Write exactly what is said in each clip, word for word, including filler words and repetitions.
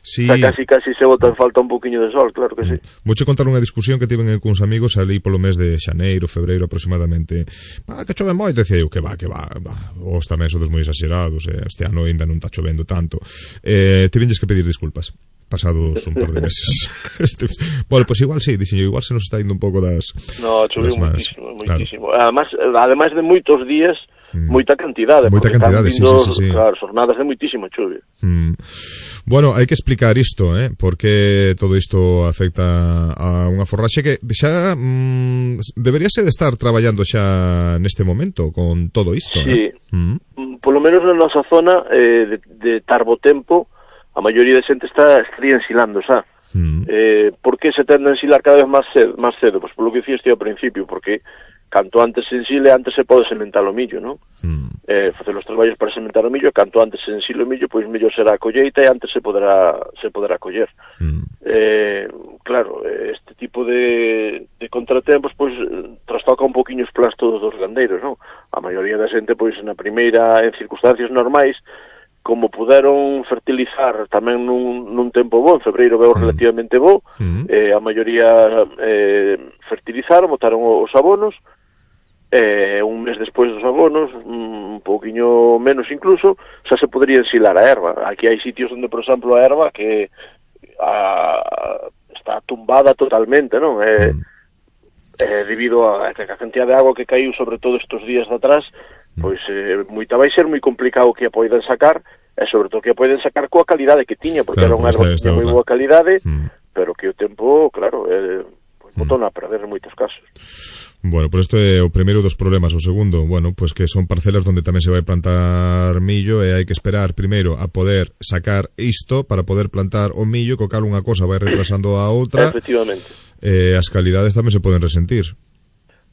Sí. O sea, casi casi se bota en falta un poquinho de sol, claro que sí. Vouche contar unha discusión que tiven con uns amigos ali polo mes de xaneiro, febreiro aproximadamente. Ah, que chove moito, decía eu, que va, que va, va. Os tamén sodes moi exagerados, eh? Este ano ainda non está chovendo tanto. Eh, tivenlles que pedir disculpas pasados un par de meses. Este, bueno, pues igual sí, dixen, igual se nos está indo un pouco das... No, choveu moitísimo, moitísimo. Claro. Además, ademais de moitos días, mm. moita cantidade. Moita cantidade, vindo, sí, sí, sí, sí. Claro, jornadas de moitísima chuvia. Mm. Bueno, hai que explicar isto, eh? Porque todo isto afecta a unha forraxe que xa mm, deberíase de estar traballando xa neste momento con todo isto, sí. eh? Mm. Polo menos na nosa zona eh, de, de Tarbotempo, a maioría de xente está estaría ensilando, xa. Mm. Eh, por que se tende a ensilar cada vez máis cedo? Máis cedo? Pois polo que dicías ao principio, porque canto antes se ensile, antes se pode sementar o millo, non? Mm. Eh, facer os traballos para sementar o millo, canto antes se ensile o millo, pois mellor será a colleita e antes se poderá se poderá coller. Mm. Eh, claro, este tipo de, de contratempos, pois, trastoca un poquinho os plans todos dos gandeiros, non? A maioría da xente, pois, na primeira, en circunstancias normais, como puderon fertilizar tamén nun, nun tempo bo, en febreiro veo relativamente bo, mm. eh, a maioría eh, fertilizaron, botaron os abonos, eh, un mes despois dos abonos, un pouquiño menos incluso, xa se podría ensilar a erva. Aquí hai sitios onde, por exemplo, a erva que a, está tumbada totalmente, non? Eh, mm. eh, debido a, a cantidad de agua que caiu sobre todo estes días de atrás, pois eh, moita vai ser moi complicado que a poidan sacar, e sobre todo que a poidan sacar coa calidade que tiña, porque claro, era unha erva que tiña moi boa calidade, mm. pero que o tempo, claro, eh, pues, botón a perder en moitos casos. Bueno, pues isto é o primeiro dos problemas. O segundo, bueno, pues que son parcelas onde tamén se vai plantar millo e hai que esperar primeiro a poder sacar isto para poder plantar o millo, co cal unha cosa vai retrasando a outra. Efectivamente. Eh, as calidades tamén se poden resentir.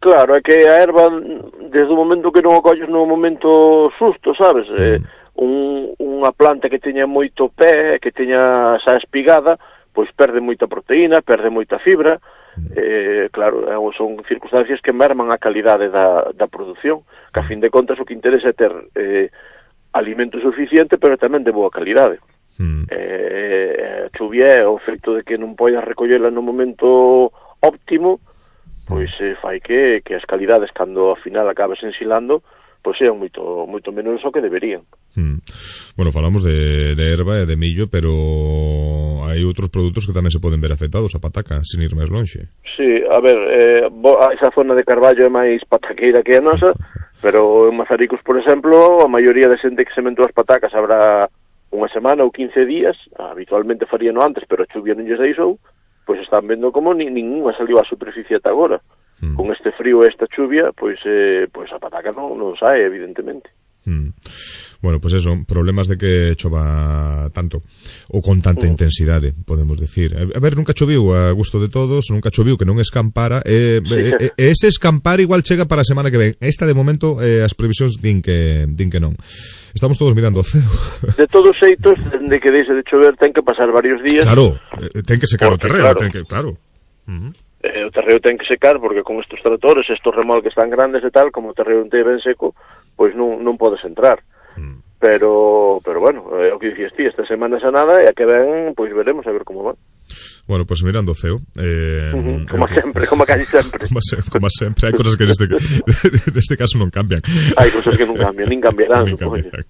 Claro, é que a erva, desde o momento que non o colles no momento susto, sabes? Mm. Eh, un, unha planta que teña moito pé, que teña xa espigada, pois perde moita proteína, perde moita fibra, mm. eh, claro, son circunstancias que merman a calidade da, da produción, que a fin de contas o que interesa é ter eh, alimento suficiente, pero tamén de boa calidade. Mm. Eh, a chuvia é o feito de que non poidas recollela no momento óptimo, pois eh, fai que, que as calidades cando ao final acabes ensilando pois sean moito moito menos o que deberían. Hmm. Bueno, falamos de, de erva e de millo, pero hai outros produtos que tamén se poden ver afectados, a pataca, sin ir máis lonxe. Sí, a ver, eh, esa zona de Carballo é máis pataqueira que a nosa, pero en Mazaricos, por exemplo, a maioría de xente que sementou as patacas habrá unha semana ou quince días, habitualmente faríano antes, pero a chuvia non lles deixou, pois están vendo como ni, ninguna saliu á superficie ata agora. Mm. Con este frío e esta chuvia, pois eh, pois a pataca non, non sae, evidentemente. Mm. Bueno, pois pues eso, problemas de que chova tanto, ou con tanta mm. intensidade, podemos decir. A ver, nunca choviu a gusto de todos, nunca choviu que non escampara, e, sí. e, e ese escampar igual chega para a semana que ven. Esta, de momento, eh, as previsións din que, din que non. Estamos todos mirando o ceo. De todos xeitos, de que deixe de chover, ten que pasar varios días. Claro, eh, ten que secar porque, o terreno, claro, ten que, claro. Uh-huh. Eh, o terreo ten que secar, porque con estes tractores, estos remolques tan grandes e tal, como o terreo non te ben seco, pois non, non podes entrar. Uh-huh. Pero, pero bueno, é o que dicías ti, esta semana xa nada, e a que ven, pois veremos a ver como va. Bueno, pues mirando o ceo, eh, uh-huh. como eh, sempre, como casi sempre. Como, se, como sempre, hai cosas que neste, neste caso non cambian. Hai cosas que non cambian, nin cambiarán. nin cambiarán.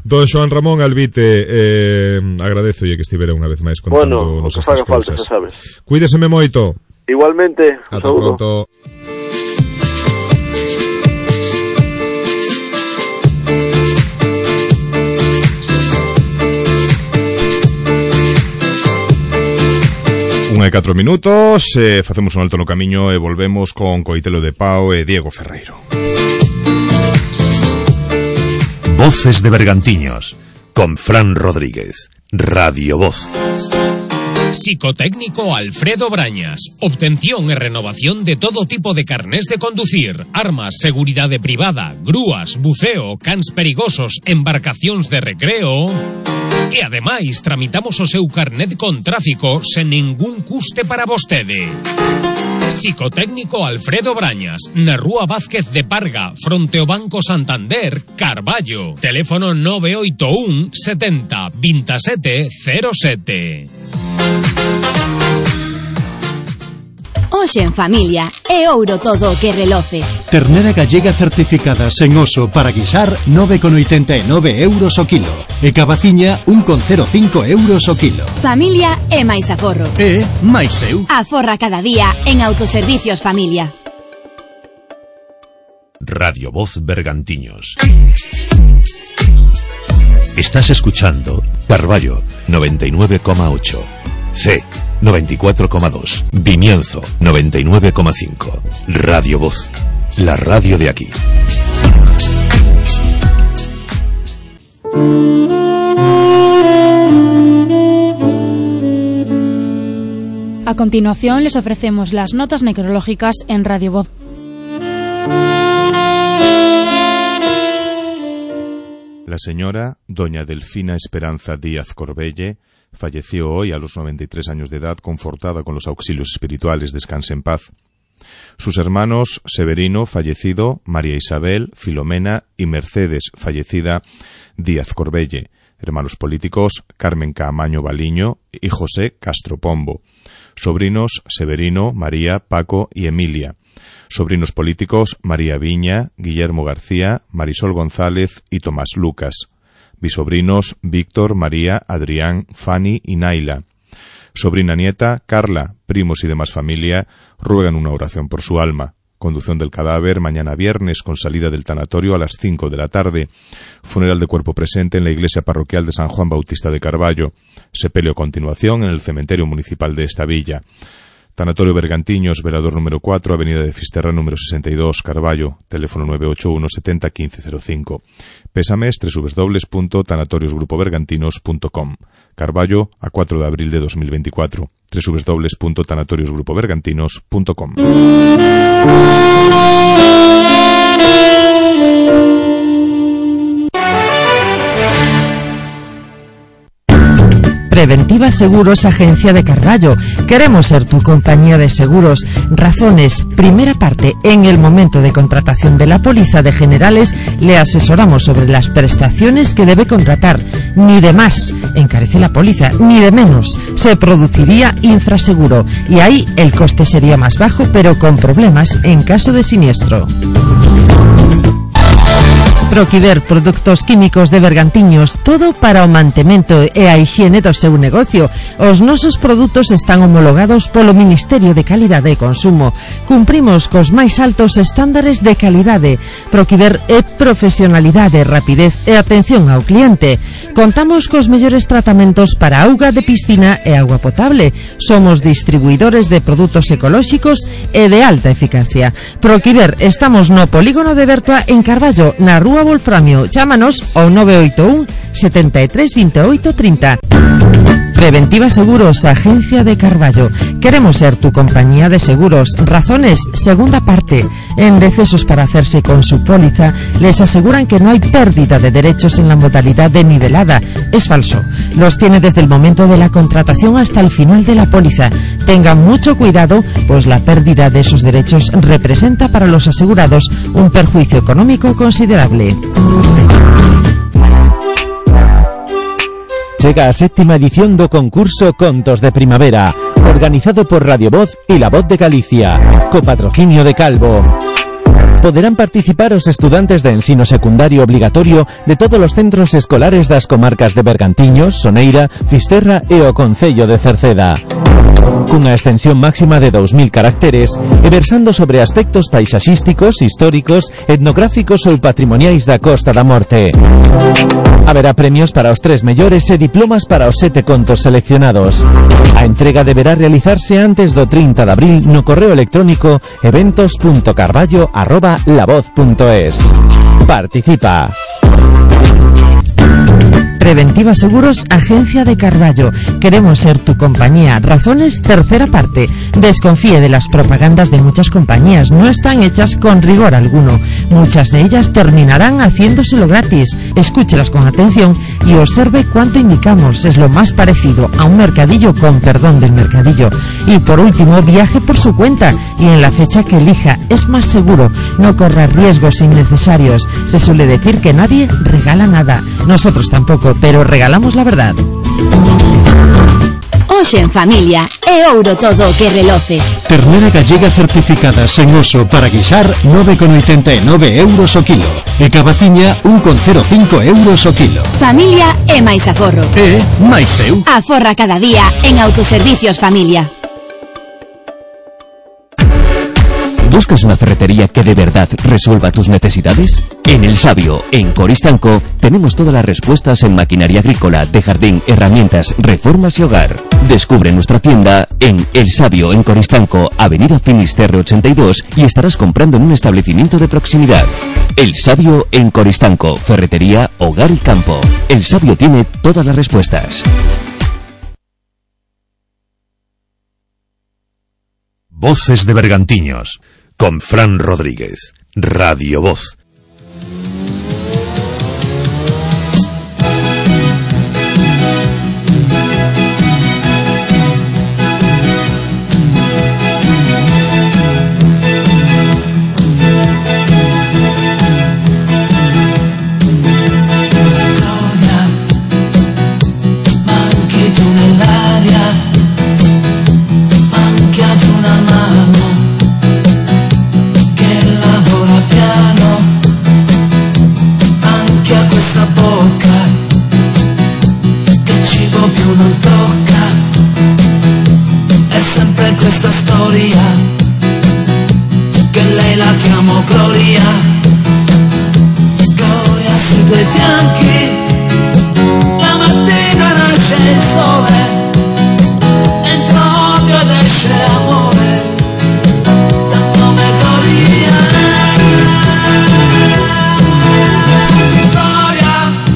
Don Xoán Ramón Albite, eh, agradezo que estivera unha vez máis contando bueno, nos estas cousas. Falta, sabes. Cuídeseme moito. Igualmente, ata pronto. Unha e catro minutos, eh, facemos un alto no camiño e volvemos con Coitelo de Pau e Diego Ferreiro. Voces de Bergantiños, con Fran Rodríguez, Radio Voz. Psicotécnico Alfredo Brañas. Obtención e renovación de todo tipo de carnés de conducir, armas, seguridade privada, grúas, buceo, cans perigosos, embarcacións de recreo. E ademais tramitamos o seu carnet con tráfico sen ningún custe para vostede. Psicotécnico Alfredo Brañas, na Rúa Vázquez de Parga, fronte ao Banco Santander, Carballo. Teléfono nove oito un setenta veintisiete cero sete. Hoxe en familia é ouro todo o que reloce. Ternera gallega certificada sen oso para guisar nove con oitenta e nove euros o kilo. E cabaciña un con cero cinco euros o kilo. Familia é máis aforro. E máis teu. Aforra cada día en Autoservicios Familia. Radio Voz Bergantiños. Estás escuchando Carballo noventa y nueve coma ocho, C noventa y cuatro coma dos, Vimienzo noventa y nueve coma cinco, Radio Voz, la radio de aquí. A continuación les ofrecemos las notas necrológicas en Radio Voz. La señora doña Delfina Esperanza Díaz Corbelle falleció hoy a los noventa y tres años de edad, confortada con los auxilios espirituales. Descanse en paz. Sus hermanos Severino, fallecido, María Isabel, Filomena y Mercedes, fallecida, Díaz Corbelle. Hermanos políticos Carmen Caamaño Baliño y José Castro Pombo. Sobrinos Severino, María, Paco y Emilia. Sobrinos políticos María Viña, Guillermo García, Marisol González y Tomás Lucas. Bisobrinos Víctor, María, Adrián, Fanny y Naila. Sobrina nieta Carla. Primos y demás familia ruegan una oración por su alma. Conducción del cadáver mañana viernes con salida del tanatorio a las cinco de la tarde. Funeral de cuerpo presente en la iglesia parroquial de San Juan Bautista de Carballo. Sepelio a continuación en el cementerio municipal de esta villa. Tanatorio Bergantiños, velador número cuatro, avenida de Fisterra número sesenta y dos, Carballo, teléfono nueve ocho uno setenta quince cero cinco. Pésames doble u doble u doble u punto tanatorios grupo bergantinos punto com. Carballo, a cuatro de abril de dos mil veinticuatro. doble u doble u doble u punto tanatorios grupo bergantinos punto com. Preventiva Seguros, agencia de Carballo. Queremos ser tu compañía de seguros. Razones. Primera parte. En el momento de contratación de la póliza de generales, le asesoramos sobre las prestaciones que debe contratar. Ni de más encarece la póliza, ni de menos. Se produciría infraseguro. Y ahí el coste sería más bajo, pero con problemas en caso de siniestro. Proquiver, produtos químicos de Bergantiños, todo para o mantemento e a hixiene do seu negocio. Os nosos produtos están homologados polo Ministerio de Calidade e Consumo. Cumprimos cos máis altos estándares de calidade. Proquiver é profesionalidade, rapidez e atención ao cliente. Contamos cos mellores tratamentos para auga de piscina e agua potable. Somos distribuidores de produtos ecolóxicos e de alta eficacia. Proquiver, estamos no polígono de Bertoa en Carballo, na Rúa Wolframio. Chámanos ao nove oito un setenta e tres veintiocho treinta. Preventiva Seguros, agencia de Carballo. Queremos ser tu compañía de seguros. Razones, segunda parte. En decesos para hacerse con su póliza, les aseguran que no hay pérdida de derechos en la modalidad de nivelada. Es falso. Los tiene desde el momento de la contratación hasta el final de la póliza. Tengan mucho cuidado, pues la pérdida de esos derechos representa para los asegurados un perjuicio económico considerable. Chega a séptima edición do concurso Contos de Primavera, organizado por Radio Voz y La Voz de Galicia, co patrocinio de Calvo. Poderán participar os estudantes de ensino secundario obligatorio de todos os centros escolares das comarcas de Bergantiños, Soneira, Fisterra e o Concello de Cerceda. Cunha extensión máxima de dous mil caracteres e versando sobre aspectos paisaxísticos, históricos, etnográficos ou patrimoniais da Costa da Morte. Haberá premios para os tres mellores e diplomas para os sete contos seleccionados. A entrega deberá realizarse antes do trinta de abril no correo electrónico eventos punto carballo arroba lavoz punto es. Participa. Preventiva Seguros, Agencia de Carballo. Queremos ser tu compañía. Razones, tercera parte. Desconfíe de las propagandas de muchas compañías. No están hechas con rigor alguno. Muchas de ellas terminarán haciéndoselo gratis. Escúchelas con atención y observe cuánto indicamos. Es lo más parecido a un mercadillo, con perdón del mercadillo. Y por último, viaje por su cuenta y en la fecha que elija. Es más seguro. No corra riesgos innecesarios. Se suele decir que nadie regala nada. Nosotros tampoco, pero regalamos la verdad. Hoxe en familia é ouro todo o que reloce. Ternera gallega certificada sen oso para guisar nove con oitenta e nove euros o kilo. E cabaciña un con cero cinco euros o kilo. Familia é máis aforro. E máis teu. Aforra cada día en Autoservicios Familia. ¿Buscas una ferretería que de verdad resuelva tus necesidades? En El Sabio, en Coristanco, tenemos todas las respuestas en maquinaria agrícola, de jardín, herramientas, reformas y hogar. Descubre nuestra tienda en El Sabio, en Coristanco, Avenida Finisterre ochenta y dos, y estarás comprando en un establecimiento de proximidad. El Sabio, en Coristanco, ferretería, hogar y campo. El Sabio tiene todas las respuestas. Voces de Bergantiños, con Fran Rodríguez, Radio Voz.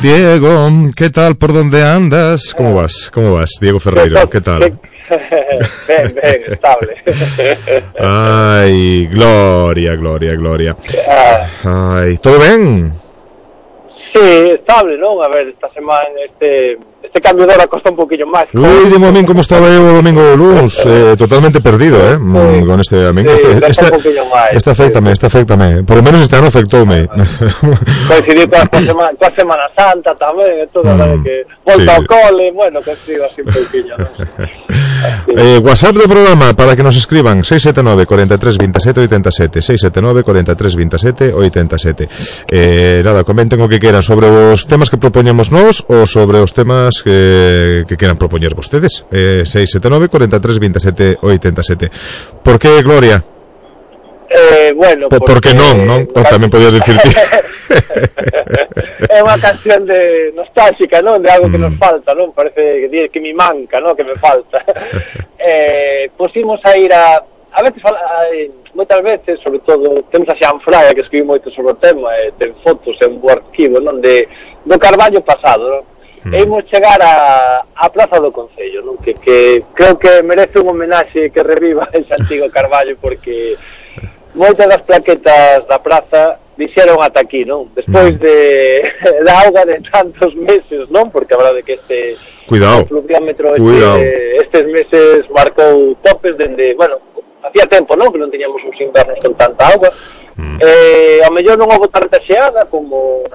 Diego, ¿qué tal? ¿Por dónde andas? ¿Cómo vas? ¿Cómo vas? Diego Ferreiro, ¿qué tal? Ben, ben, estable. Ay, gloria, gloria, gloria. Ay, ¿todo bien? Sí, estable, non? A ver, esta semana este este cambio de hora costa un poquillo máis. Ui, dime a min como estaba eu o domingo o luns, eh, totalmente perdido, eh, sí, con este a min. Sí, este, este, este afectame, sí. este afectame. Por lo menos este ano afectoume. Coincidí coa semana, coa Semana Santa tamén, e todo, mm, vale, que volta sí. ao cole, bueno, que escriba así un poquillo, ¿no? Eh, WhatsApp do programa para que nos escriban seis sete nove, cuarenta y tres, veintisiete, ochenta y siete seis sete nove, cuarenta y tres, veintisiete, ochenta y siete. Eh, nada, comenten o que queran sobre os temas que propoñemos nós ou sobre os temas que, que queran propoñer vostedes. Eh, seis sete nove, cuarenta y tres, veintisiete, ochenta y siete. Por que, Gloria? Eh, bueno, por, porque, porque non, non? Oh, tamén podías dicir que é unha canción de nostálgica, non? De algo que nos falta, non? Parece que, que me manca, non? Que me falta. eh, pusimos a ir a a veces, a, moitas veces, sobre todo, temos a Xanfraia, que escribiu moito sobre o tema, e ten fotos en bo arquivo, non? De, do Carballo pasado, non? Mm. E imos chegar a, a Praza do Concello, non? Que, que creo que merece un homenaxe que reviva ese antigo Carballo, porque moitas das plaquetas da praza dixeron ata aquí, non? Despois de da auga de tantos meses, non? Porque a verdade que este Cuidado. fluviómetro Cuidado. este, estes meses marcou topes dende, bueno, hacía tempo, non? Que non teñamos uns invernos con tanta auga. Mm. Eh, ao mellor non houve tanta xeada como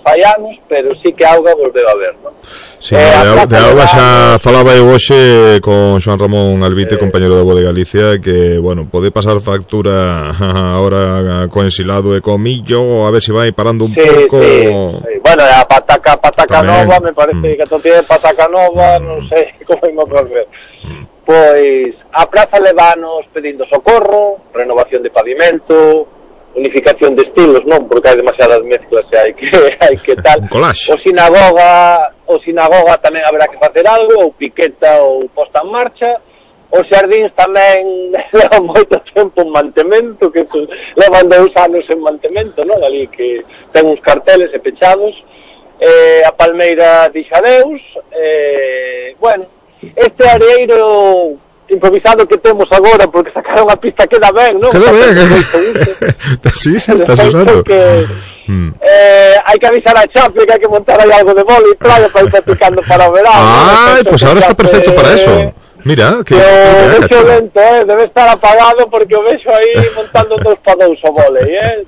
fai anos, pero sí que a auga volveu a ver, non? Sí, eh, de, de auga xa falaba eu hoxe con Xoan Ramón Albite, eh, compañero da Voz de Galicia, que, bueno, pode pasar factura ahora co ensilado e co millo, a ver se vai parando un sí, pouco. Sí, sí. Bueno, a pataca, pataca tamén nova, me parece mm. que to tiene pataca nova, mm. non sei como imos a ver. Mm. Pois a praza levanos pedindo socorro, renovación de pavimento, unificación de estilos, non? Porque hai demasiadas mezclas e hai que hai que tal. O sinagoga, o sinagoga tamén haberá que facer algo, ou piqueta ou posta en marcha. Os xardíns tamén levan moito tempo en mantemento, que levan dous anos en mantemento, non? Ali que ten uns carteles e pechados. eh, a Palmeira dixa adeus, eh, bueno, este areeiro improvisado que temos agora, porque sacaron a pista queda ben, non? Queda ben, sí, sí, estás usando. Que, mm. eh, hai que avisar a Chapi que hai que montar aí algo de boli, claro, para ir practicando para o verano. Ai, pois pues ahora está perfecto para eso. Mira, que... O vexo lento, eh, debe estar apagado porque o vexo aí montando dos pa dous o volei, eh.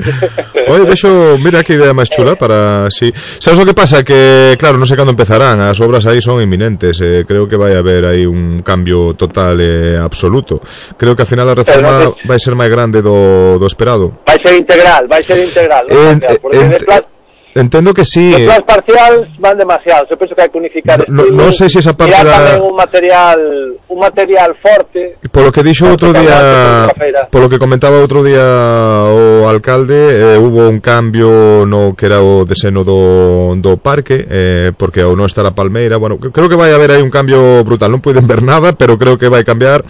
Oye, vexo, mira que idea máis chula para... Sí. Sabes o que pasa? Que, claro, non sei cando empezarán, as obras aí son inminentes, eh, creo que vai haber aí un cambio total e eh, absoluto. Creo que ao final a reforma no, vai ser máis grande do, do esperado. Vai ser integral, vai ser integral, ¿no? En, porque en, de plan... Entendo que sí. Os plans parciales van demasiados. Eu penso que hai que unificar no, estilos. Non sei se esa parte da... tamén un material, un material forte. Polo que dixo outro día, polo que comentaba outro día o alcalde, eh, hubo un cambio no que era o deseño do, do parque, eh, porque ao non estar a Palmeira, bueno, creo que vai haber aí un cambio brutal. Non puiden ver nada, pero creo que vai cambiar.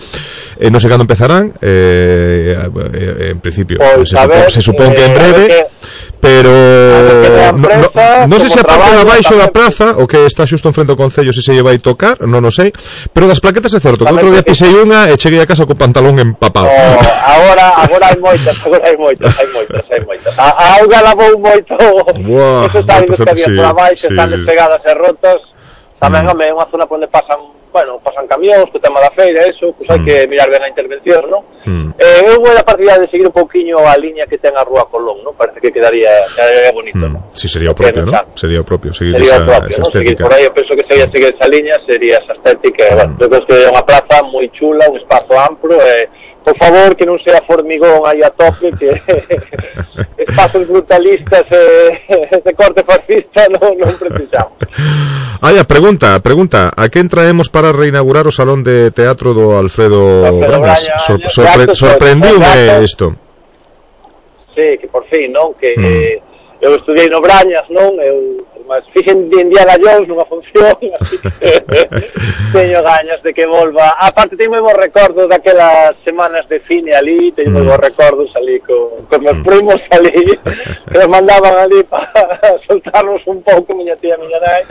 Eh, non sei cando empezarán, eh, eh, en principio, pues, se, supón, se supón que en breve, que... pero... No, no, non sei se a parte de abaixo da praza o que está xusto en frente ao Concello se se lle vai tocar, non o sei, pero das plaquetas é certo que outro día pisei unha e cheguei a casa co pantalón empapado. Oh, agora agora hai moitas, agora hai moitas, hai moitas, hai moitas. A, a auga lavou moito. Wow, eso está indo que había por abaixo, sí, están despegadas e rotas. Tamén, home, é unha zona onde pasan, bueno, pasan camións, co tema da feira, eso, pois hai mm. que mirar ben a intervención, non? Mm. Eh, eu vou a partida de seguir un pouquiño a liña que ten a Rúa Colón, non? Parece que quedaría, quedaría bonito, mm. non? Si, sí, sería o propio, non? Sería o propio, seguir sería esa, propio, esa ¿no? estética. Seguir por aí, eu penso que sería seguir esa liña, sería esa estética, mm. bueno, eu penso que é unha plaza moi chula, un espazo amplo, e, eh, por favor, que non sea formigón aí a tope, que espazos brutalistas e eh, de corte fascista non, non precisamos. Ai, a pregunta, pregunta, a quen traemos para reinaugurar o Salón de Teatro do Alfredo, Alfredo Brañas? Sor, sorpre, sorprendiume isto. Sí, que por fin, non? Que mm. eh, eu estudiei no Brañas, non? Eu mas fixen de Indiana Jones nunha función, así que teño gañas de que volva. Aparte, teño moi bons recordos daquelas semanas de cine ali, teño moi bons recordos ali con, con meus primos ali, que nos mandaban ali para soltarnos un pouco, miña tía, miña nai,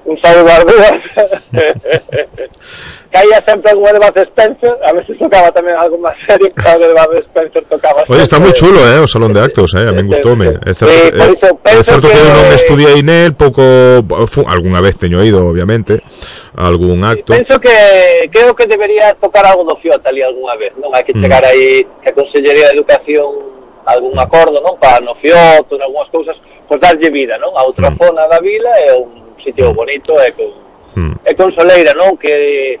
un saludo ás dúas. Caía sempre algo de Bud Spencer, a veces tocaba tamén algo máis serio, que algo de Bud Spencer tocaba. Oye, está moi chulo, eh, o salón de actos, eh, a min gustoume. É certo, sí, eh, é certo que eu non estudiei nel, pouco, algunha vez teño ido, obviamente, algún acto. Penso que creo que debería tocar algo do Fiota ali algunha vez, non? Hai que chegar mm. aí que a Consellería de Educación algún acordo, non? Para no Fioto, en algunhas cousas, pois darlle vida, non? A outra mm. zona da vila é un sitio bonito e con mm. e con soleira, non? Que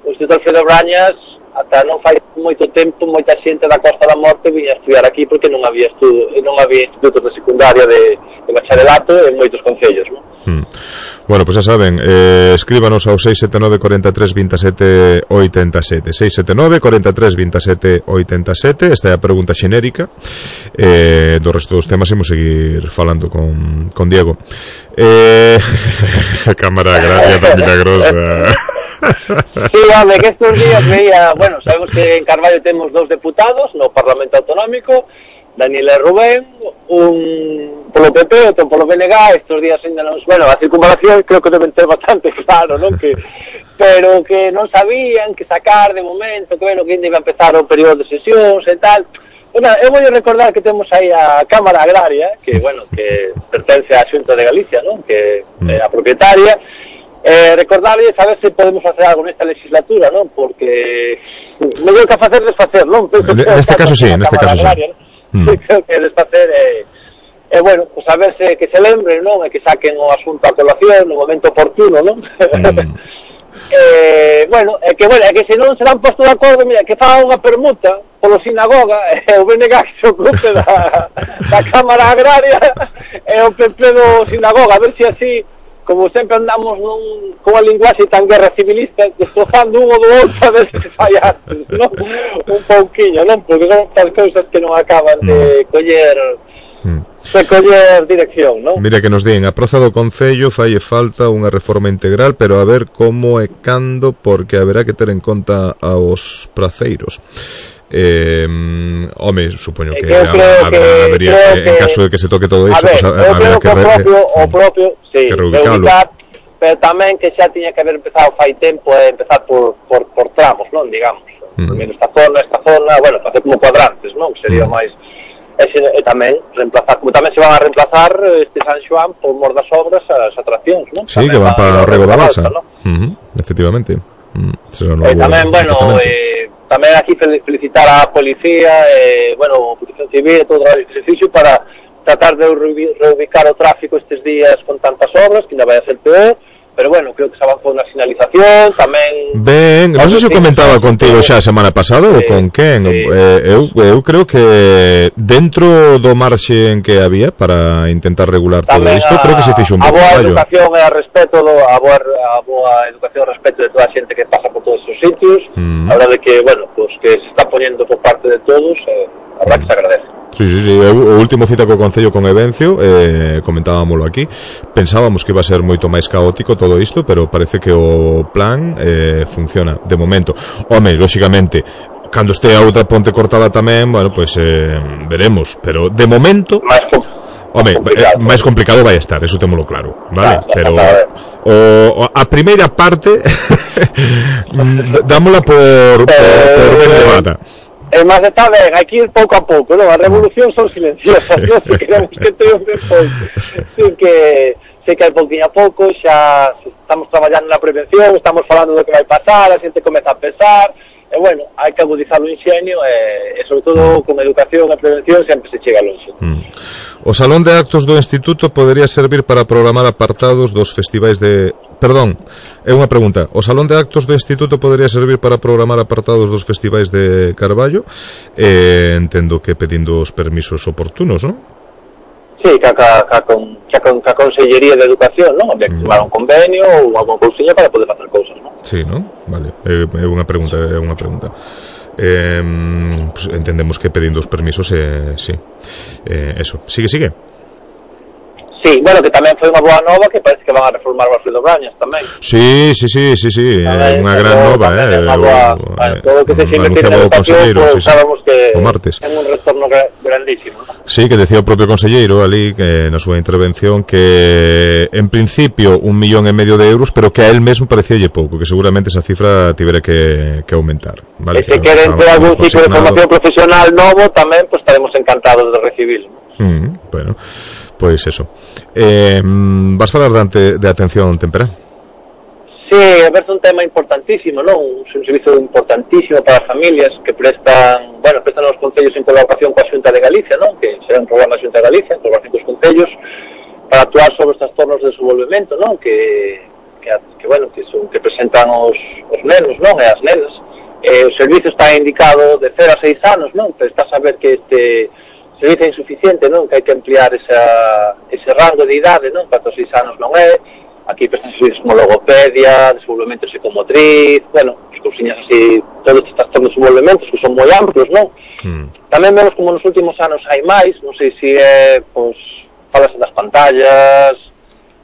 o Instituto Alfredo Brañas ata non fai moito tempo moita xente da Costa da Morte viña a estudiar aquí porque non había estudo, non había institutos de secundaria de, de bacharelato en moitos concellos, non? Hmm. Bueno, pues xa saben, eh, escríbanos ao seis sete nove, cuatro tres, veintisiete, ochenta y siete seis sete nove, cuatro tres, veintisiete, ochenta y siete. Esta é a pregunta xenérica. Eh, do resto dos temas imos seguir falando con, con Diego. Eh, Cámara Agraria da Milagrosa. Sí, home, que estes días veía, bueno, sabemos que en Carballo temos dos deputados no Parlamento Autonómico, Daniel e Rubén, un polo P P, outro polo B N G, estes días ainda non, bueno, a circunvalación creo que deben ter bastante claro, non? Que, pero que non sabían que sacar de momento, que bueno, que ainda iba a empezar o período de sesións e tal. Bueno, eu vou recordar que temos aí a Cámara Agraria, que, bueno, que pertence á Xunta de Galicia, non? Que é a propietaria. Eh, recordarles a ver se podemos facer algo nesta legislatura, non? Porque mellor que facer desfacer, non? Penso que neste caso sí, neste caso sí. Mm. Creo que desfacer é, eh, eh, bueno, pues a ver se que se lembren, non? E que saquen o asunto a colación no momento oportuno, non? Mm. eh, bueno, é que, bueno, é que se non se dan posto de acordo, mira, que faga unha permuta polo sinagoga, e eh, o B N G que se ocupe da, da Cámara Agraria e o P P do sinagoga, a ver se así, como sempre andamos nun, con a linguaxe tan guerra civilista, destrozando un ou do outro a ver se fai antes, non? Un pouquiño, non? Porque son estas cousas que non acaban de coller de coller dirección, non? Mira que nos din, a Praza do Concello falle falta unha reforma integral, pero a ver como e cando, porque haberá que ter en conta aos praceiros. eh, home, supoño que, que habrá, que, habría que, que, en caso de que se toque todo iso, ver, pues, habrá que, que o propio, re, o propio sí, que reubicarlo, pero tamén que xa tiña que haber empezado fai tempo e empezar por, por, por tramos, non, digamos, mm. primero esta zona, esta zona, bueno, facer como cuadrantes, non, sería mm. máis e, se, e tamén reemplazar, como tamén se van a reemplazar este San Xoán por mor das obras as atraccións, non? Sí, tamén que van para o Rego da Balsa, ¿no? Uh-huh, efectivamente. Mm, e tamén, bueno, eh, tamén aquí felicitar a policía, eh, bueno, a Protección Civil e todo o exercicio para tratar de reubicar o tráfico estes días con tantas obras, que ainda vai a ser peor, pero bueno, creo que se avanzou na sinalización, tamén... Ben, non sei se comentaba contigo xa a semana pasada ou con quen, sí. eh, eu, eu creo que dentro do marxe en que había para intentar regular tamén todo isto, a, creo que se fixo un pouco. A boa educación e a respeto, do, a, boa, a boa educación e respeto de toda a xente que pasa por todos os sitios, mm. a verdade que, bueno, pues que se está poniendo por parte de todos, eh, a verdade que se agradece. Sí, sí, sí, o último cita co Concello con Evencio, eh, comentábamoslo aquí, pensábamos que iba a ser moito máis caótico todo isto, pero parece que o plan eh, funciona, de momento. Home, lóxicamente, cando este a outra ponte cortada tamén, bueno, pois pues, eh, veremos, pero de momento... Home, complicado. máis complicado vai estar, eso témolo claro, vale? Ah, pero o, o, a primeira parte dámola por, por, por ben levada. E máis está ben, hai que ir pouco a pouco, non? A revolución son silenciosas, non? Se queremos que triunfe pouco. Así que, sei que hai pouquinho a pouco, xa estamos traballando na prevención, estamos falando do que vai pasar, a xente comeza a pensar, e bueno, hai que agudizar o inxenio, e, e sobre todo con educación e prevención sempre se chega longe. Mm. O Salón de Actos do Instituto podería servir para programar apartados dos festivais de... Perdón, é unha pregunta. O Salón de Actos do Instituto podería servir para programar apartados dos festivais de Carballo, eh, entendo que pedindo os permisos oportunos, non? Sí, que a, que a, que a, que a Consellería de Educación, non? Habría que firmar un convenio ou alguna cousiña para poder facer cousas, non? Sí, non? Vale, é, é unha pregunta, é unha pregunta. Eh, pues entendemos que pedindo os permisos, eh, sí. Eh, eso, sigue, sigue. Sí, bueno, que tamén foi unha boa nova que parece que van a reformar o Alfredo Brañas tamén. Sí, sí, sí, sí, sí, é unha gran nova, eh. Unha boa, o, bueno, todo o que se invertir en educación, pues, sí, sabemos que o martes. É un retorno grandísimo, ¿no? Sí, que decía o propio conselleiro ali que na súa intervención que en principio un millón e medio de euros, pero que a él mesmo parecíalle pouco, que seguramente esa cifra tivera que, que aumentar, vale? E se queren ter algún tipo de formación profesional novo tamén, pues estaremos encantados de recibirlo. Mm, bueno, pois pues eso. Eh, vas falar de, de atención temperá? Sí, é un tema importantísimo, non? Un servizo importantísimo para as familias que prestan, bueno, prestan os concellos en colaboración coa Xunta de Galicia, non? Que será un programa da Xunta de Galicia, en colaboración cos concellos, para actuar sobre os trastornos de desenvolvemento, non? Que, que, que bueno, que son que presentan os, os nenos, non? E as nenas. Eh, o servizo está indicado de cero a seis anos, non? Pero está a saber que este servizo é insuficiente, non? Que hai que ampliar esa, ese rango de idade, non? Para os seis anos non é. Aquí prestan servicios como logopedia, desenvolvemento psicomotriz, bueno, as cousiñas así, todos estes trastornos de desenvolvementos que son moi amplos, non? Mm. Tamén vemos como nos últimos anos hai máis, non sei se é, pois, falase das pantallas,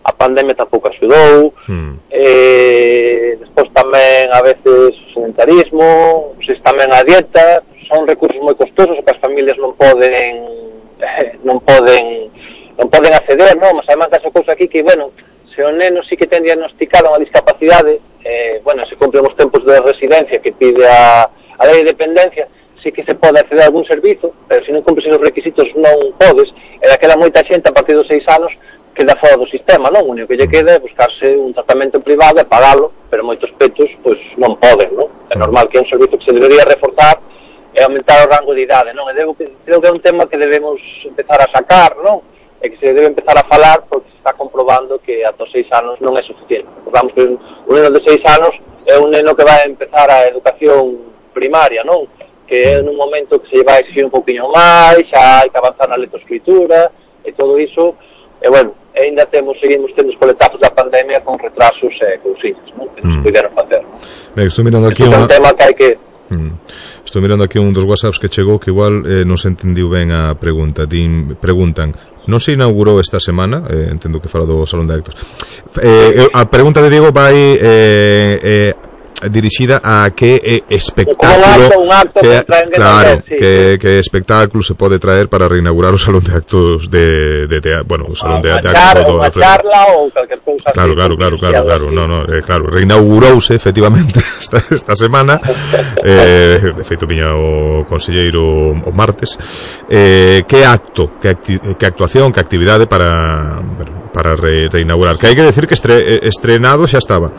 a pandemia tampouco axudou, mm. eh, despois tamén a veces o sedentarismo, non sei se tamén a dieta, son recursos moi costosos que as familias non poden eh, non poden non poden acceder, non? Mas además desa cousa aquí que, bueno, se o neno sí que ten diagnosticado unha discapacidade, eh, bueno, se cumplen os tempos de residencia que pide a, a lei de dependencia, sí que se pode acceder a algún servizo, pero se non cumples os requisitos non podes, e daquela moita xente a partir dos seis anos queda fora do sistema, non? O único que lle queda é buscarse un tratamento privado e pagalo, pero moitos petos, pois, non poden, non? É normal que é un servizo que se debería reforzar e aumentar o rango de idade, non? E debo, creo que é un tema que debemos empezar a sacar, non? E que se debe empezar a falar porque se está comprobando que ata os seis anos non é suficiente. Recordamos que un neno de seis anos é un neno que vai a empezar a educación primaria, non? Que é nun momento que se vai a exigir un poquinho máis, xa hai que avanzar na lectoescritura e todo iso, e bueno, ainda temos, seguimos tendo os coletazos da pandemia con retrasos e cousiñas, non? Que nos mm. puderon facer, non? Ben, estou mirando aquí unha... é un tema que hai que... Mm. Estou mirando aquí un dos WhatsApps que chegou que igual eh, non se entendiu ben a pregunta. Din, preguntan, non se inaugurou esta semana, eh, entendo que fala do Salón de Actos. Eh, a pregunta de Diego vai eh, eh, dirixida a que eh, espectáculo un acto, un acto que, que claro, traer, sí, que, que espectáculo se pode traer para reinaugurar o salón de actos de, de teatro, bueno, o salón de teatro char, todo unha charla ou calquer cousa claro, así, claro, claro, claro, claro, no, no, eh, claro, reinaugurouse efectivamente esta, esta semana eh, de feito viña o conselleiro o martes eh, que acto, que, acti, que actuación, que actividade para bueno, para re, reinaugurar, que hai que decir que estre, estrenado xa estaba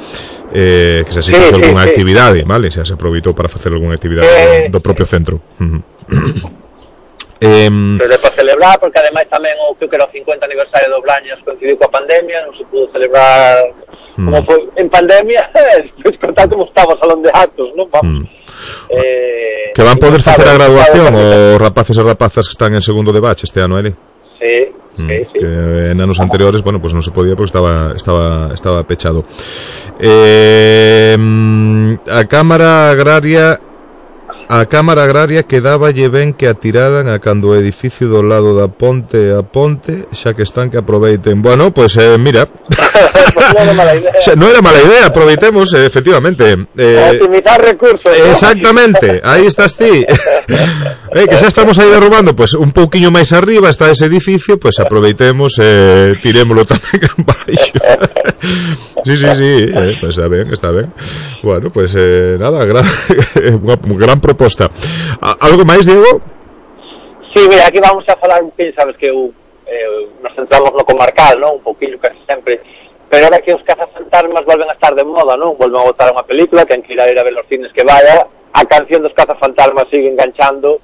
eh, que se se fixo sí, algunha sí, actividade, sí. Vale, xa se aproveitou para facer algunha actividade eh, do, do propio centro. Uh-huh. eh, Pero para celebrar, porque ademais tamén o que era o cincuenta aniversario do Blañas coincidiu coa pandemia, non se pudo celebrar hmm. como foi en pandemia, despois contar como estaba o salón de actos, non? Vamos. Hmm. Eh, que van poder facer a graduación os rapaces e rapazas que están en segundo de batch este ano, Eli? Sí. Sí, sí. Que en anos anteriores, bueno, pues non se podía porque estaba estaba estaba pechado. Eh, a Cámara Agraria a Cámara Agraria quedáballe ben que atiraran a cando o edificio do lado da ponte a ponte, xa que están que aproveiten. Bueno, pues eh, mira. Pues non era mala idea. Non era mala idea, aproveitemos, eh, efectivamente. Eh, optimizar recursos. ¿no? Exactamente, aí estás ti. Eh, que xa estamos aí derrubando, pues un pouquiño máis arriba está ese edificio, pues aproveitemos, eh, tirémolo tamén en baixo. Sí, sí, sí, eh, pues está ben, está ben. Bueno, pues eh, nada, gran, unha gran proposta. Algo máis, Diego? Sí, mira, aquí vamos a falar un pouquinho, sabes que eu, eh, nos centramos no comarcal, non? Un pouquinho casi sempre, pero ahora que os cazafantasmas volven a estar de moda, non? Volven a botar unha película, que en que ir a ir a ver os cines que vaya, a canción dos cazafantasmas sigue enganchando,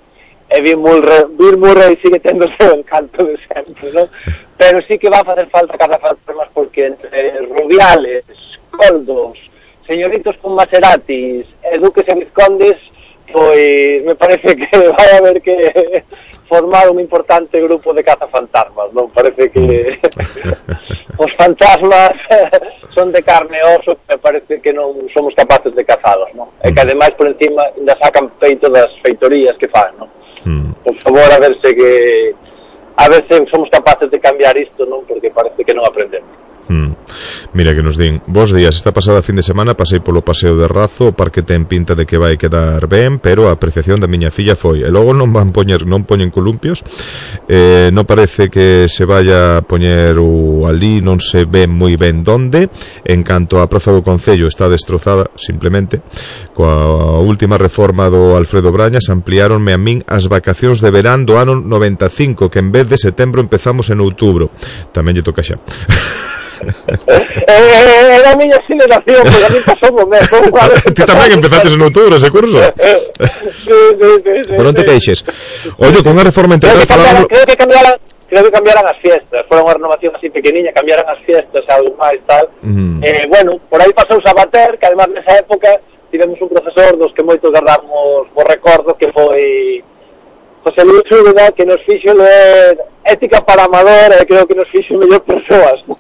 e Bill Murray, Bill Murray sigue tendo o seu encanto de sempre, non? Pero sí que va a facer falta cazafantasmas porque entre Rubiales, Coldos, señoritos con Maseratis e duques e vizcondes, pois me parece que vai a haber que formar un importante grupo de cazafantasmas, non? Parece que os fantasmas son de carne e oso, me parece que non somos capaces de cazalos, non? E que ademais por encima ainda sacan feito das feitorías que fan, non? Por favor, a verse que a ver se somos capaces de cambiar isto, non? Porque parece que non aprendemos. Hmm. Mira que nos din, bos días, esta pasada fin de semana pasei polo paseo de Razo, o parque ten pinta de que vai quedar ben, pero a apreciación da miña filla foi, e logo non van poñer, non poñen columpios, eh, non parece que se vaya a poñer o ali, non se ve moi ben donde, en canto a praza do Concello está destrozada, simplemente, coa última reforma do Alfredo Brañas, ampliáronme a min as vacacións de verán do ano noventa e cinco, que en vez de setembro empezamos en outubro, tamén lle toca xa. eh, era a miña generación, porque a mí pasou o mesmo. Ti tamén empezaste en outubro ese curso. Sí, sí, sí, sí. Por onde queixes? Oye, con unha reforma integral creo que cambiaran, creo que cambiaran, creo que cambiaran as fiestas. Foron unha renovación así pequeniña, cambiaran as fiestas, algo máis tal. Mm. Eh, bueno, por aí pasou Sabater, que además nesa época tivemos un profesor dos que moitos guardamos por recordo, que foi José Luis Úbeda, que nos fixo ler Ética para Amador, e creo que nos fixo mellor persoas, ¿no?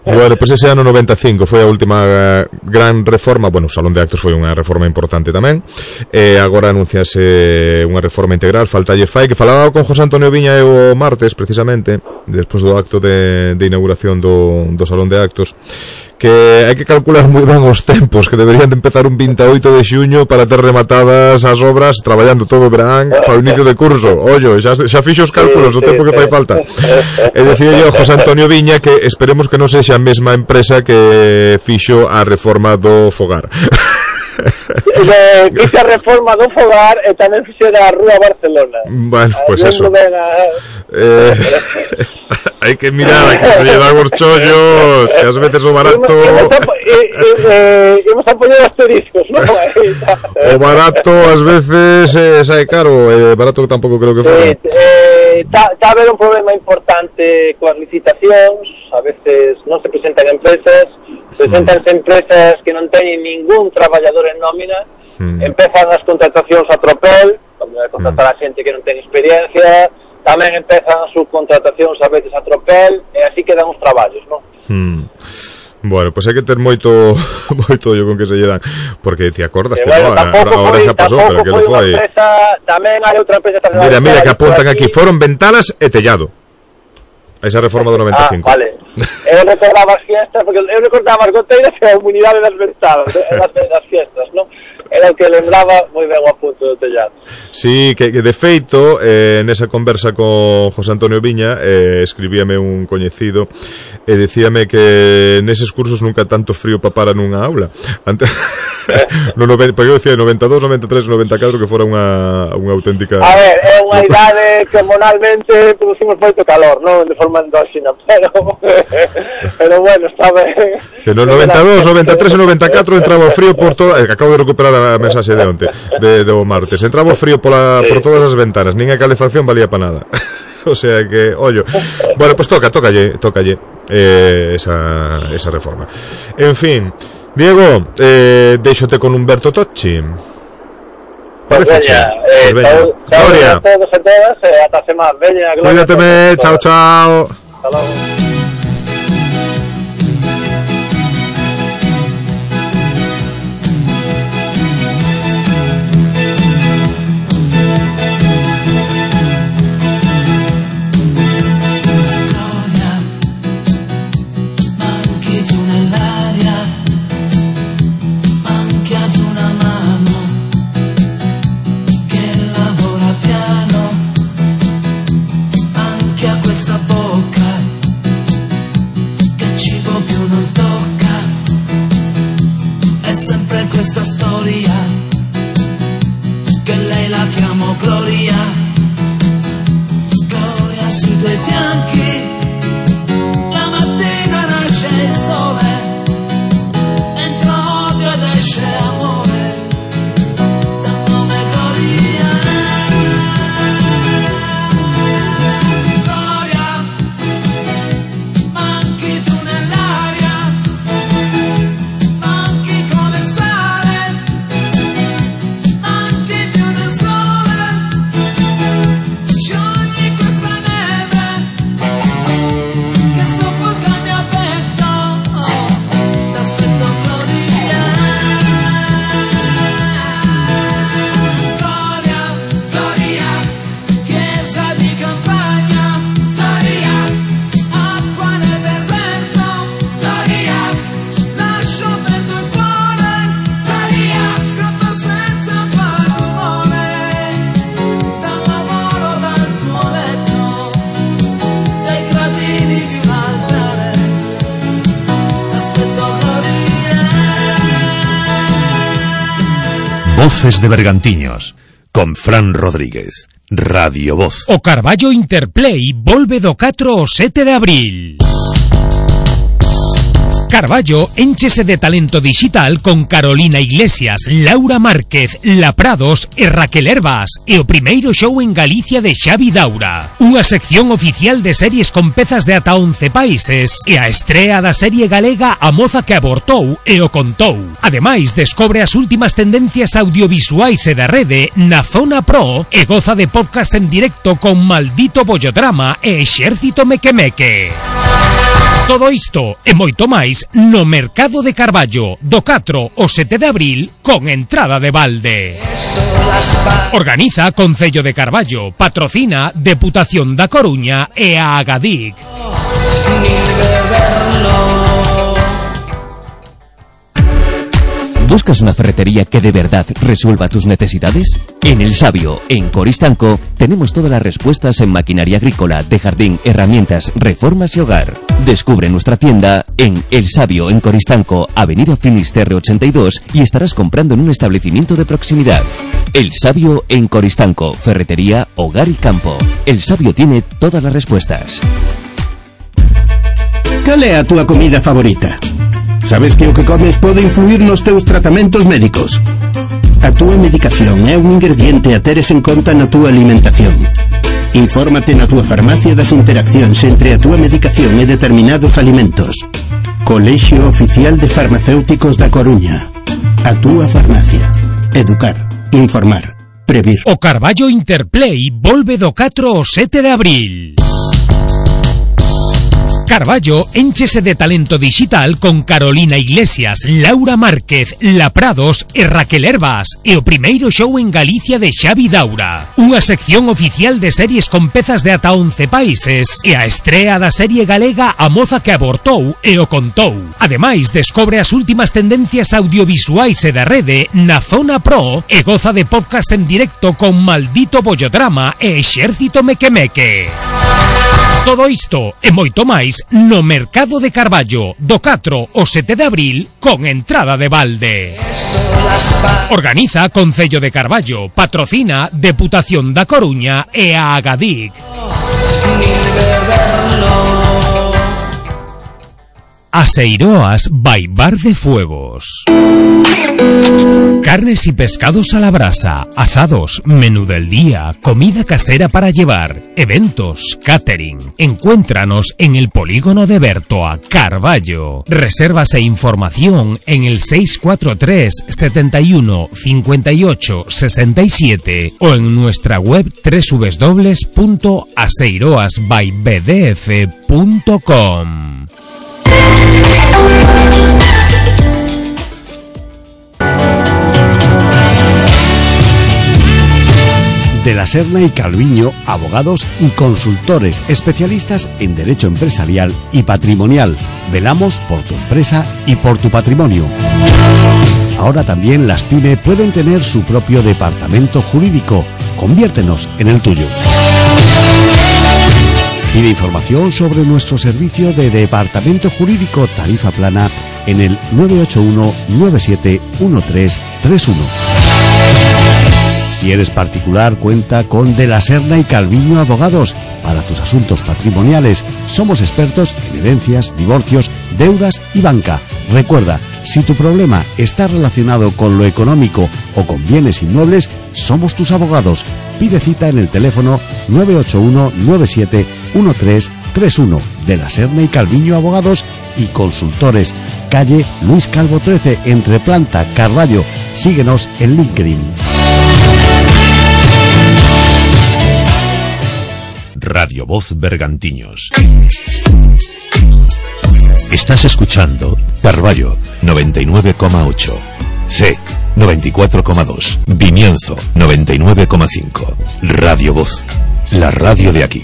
Bueno, pois pues ese ano noventa e cinco foi a última uh, gran reforma. Bueno, o Salón de Actos foi unha reforma importante tamén, e agora anunciase unha reforma integral. Faltalle fai, que falaba con José Antonio Viña e o martes, precisamente despois do acto de, de inauguración do, do Salón de Actos, que hai que calcular moi ben os tempos, que deberían de empezar un vinte e oito de xuño para ter rematadas as obras, traballando todo o verán para o inicio de curso. Ollo, xa, xa fixo os cálculos do tempo que fai falta. E decía yo José Antonio Viña que esperemos que non sexa a mesma empresa que fixo a reforma do fogar. Eh, fixe a reforma do fogar e tamén fixe da Rúa Barcelona. Bueno, pois pues eso. Eh, hai que mirar a que se lle dan os chollos, que ás veces o barato... Imos a poñer asteriscos, non? O barato ás veces eh, sae caro, e eh, barato tampouco creo que fora. Está eh, a haber un problema importante coas licitacións, a veces non se presentan empresas, presentanse empresas que non teñen ningún traballador en nómina, mm. empezan as contratacións a tropel, como é contratar mm. a xente que non ten experiencia, tamén empezan as subcontratacións a veces a tropel, e así quedan os traballos, non? Mm. Bueno, pois pues hai que ter moito moito ollo con que se lle dan, porque te acordas, eh, bueno, no? Ahora, ahora xa pasou, pero que non foi. Empresa, tamén hai outra empresa. Mira, mira que apuntan aquí, foron ventanas e tellado. esa reforma do noventa e cinco. Ah, vale. Eu recordaba as fiestas, porque eu recordaba as goteiras e a comunidade das ventanas, das, das fiestas, non? Era o que lembraba moi ben o apunto do tellado. Sí, que, que de feito, eh, nesa conversa con José Antonio Viña, eh, escribíame un coñecido e dicíame que neses cursos nunca tanto frío papara nunha aula. Antes... no, no, porque eu decía noventa e dous, noventa e tres, noventa e catro que fora unha, unha auténtica... A ver, é unha idade que hormonalmente producimos moito calor, non de forma endóxina, pero pero bueno, está ben. Que no noventa e dous, noventa e tres e noventa e catro entraba o frío por toda... Eh, acabo de recuperar a mensaxe de onte, de, de o martes. Entraba o frío pola, por todas as ventanas, nin a calefacción valía para nada. O sea que, ollo. Bueno, pues toca, tócalle, tócalle eh, esa, esa reforma. En fin... Diego, eh, deixote con Humberto Tocci. Pues veña, eh, pues veña. Gloria. A todos e todas, e ata a semana. Veña, Gloria. Cuídateme, chao, chao. Hasta logo. Questa storia che lei la chiamo Gloria, Gloria sui tuoi fianchi, la mattina nasce il sole, entra odio ed esce amore, dal nome Gloria. Gloria, manchi tu nell'aria, manchi come sai. Voces de Bergantiños, con Fran Rodríguez, Radio Voz. O Carballo Interplay volve do catro ao sete de abril. Carballo énchese de talento digital con Carolina Iglesias, Laura Márquez, La Prados e Raquel Herbas e o primeiro show en Galicia de Xavi Daura. Unha sección oficial de series con pezas de ata once países e a estrea da serie galega A Moza que Abortou e o Contou. Ademais, descobre as últimas tendencias audiovisuais e da rede na Zona Pro e goza de podcast en directo con Maldito Bollodrama e Exército Mequemeque. Todo isto e moito máis no Mercado de Carballo do catro ao sete de abril con entrada de balde. Organiza Concello de Carballo, patrocina Deputación da Coruña e a Agadic. ¿Buscas una ferretería que de verdad resuelva tus necesidades? En El Sabio, en Coristanco, tenemos todas las respuestas en maquinaria agrícola, de jardín, herramientas, reformas y hogar. Descubre nuestra tienda en El Sabio, en Coristanco, Avenida Finisterre ochenta y dos, y estarás comprando en un establecimiento de proximidad. El Sabio en Coristanco, ferretería, hogar y campo. El Sabio tiene todas las respuestas. Cal é a túa comida favorita? Sabes que o que comes pode influir nos teus tratamentos médicos? A túa medicación é un ingrediente a teres en conta na túa alimentación. Infórmate na túa farmacia das interaccións entre a túa medicación e determinados alimentos. Colexio Oficial de Farmacéuticos da Coruña. A túa farmacia. Educar, informar, previr. O Carballo Interplay volve do catro ao sete de abril. Carballo énchese de talento digital con Carolina Iglesias, Laura Márquez, La Prados e Raquel Herbas e o primeiro show en Galicia de Xavi Daura. Unha sección oficial de series con pezas de ata once países e a estrea da serie galega A moza que abortou e o contou. Ademais, descobre as últimas tendencias audiovisuais e da rede na Zona Pro e goza de podcast en directo con Maldito Bollodrama e Exército Mequemeque. Todo isto e moito máis no Mercado de Carballo do catro ao sete de abril con entrada de balde. Organiza Concello de Carballo, patrocina Deputación da Coruña e a Agadic. Aseiroas by Bar de Fuegos. Carnes y pescados a la brasa, asados, menú del día, comida casera para llevar, eventos, catering. Encuéntranos en el polígono de Bertoa, Carballo. Reservas e información en el seis cuatro tres, setenta y uno, cincuenta y ocho, sesenta y siete o en nuestra web doble u doble u doble u punto aseiroas by b d f punto com. De la Serna y Calviño, abogados y consultores especialistas en derecho empresarial y patrimonial. Velamos por tu empresa y por tu patrimonio. Ahora también las pyme pueden tener su propio departamento jurídico. Conviértenos en el tuyo. Pide información sobre nuestro servicio de departamento jurídico tarifa plana en el nueve ocho uno, nueve siete uno tres tres uno. Si eres particular, cuenta con De la Serna y Calviño Abogados para tus asuntos patrimoniales. Somos expertos en herencias, divorcios, deudas y banca. Recuerda, si tu problema está relacionado con lo económico o con bienes inmuebles, somos tus abogados. Pide cita en el teléfono nueve ocho uno, nueve siete uno tres tres uno. De la Serna y Calviño Abogados y Consultores. Calle Luis Calvo trece, entre Planta, Carballo. Síguenos en LinkedIn. Radio Voz Bergantiños. Estás escuchando Carballo noventa y nueve coma ocho, C noventa y cuatro coma dos, Vimianzo noventa y nueve coma cinco. Radio Voz, la radio de aquí.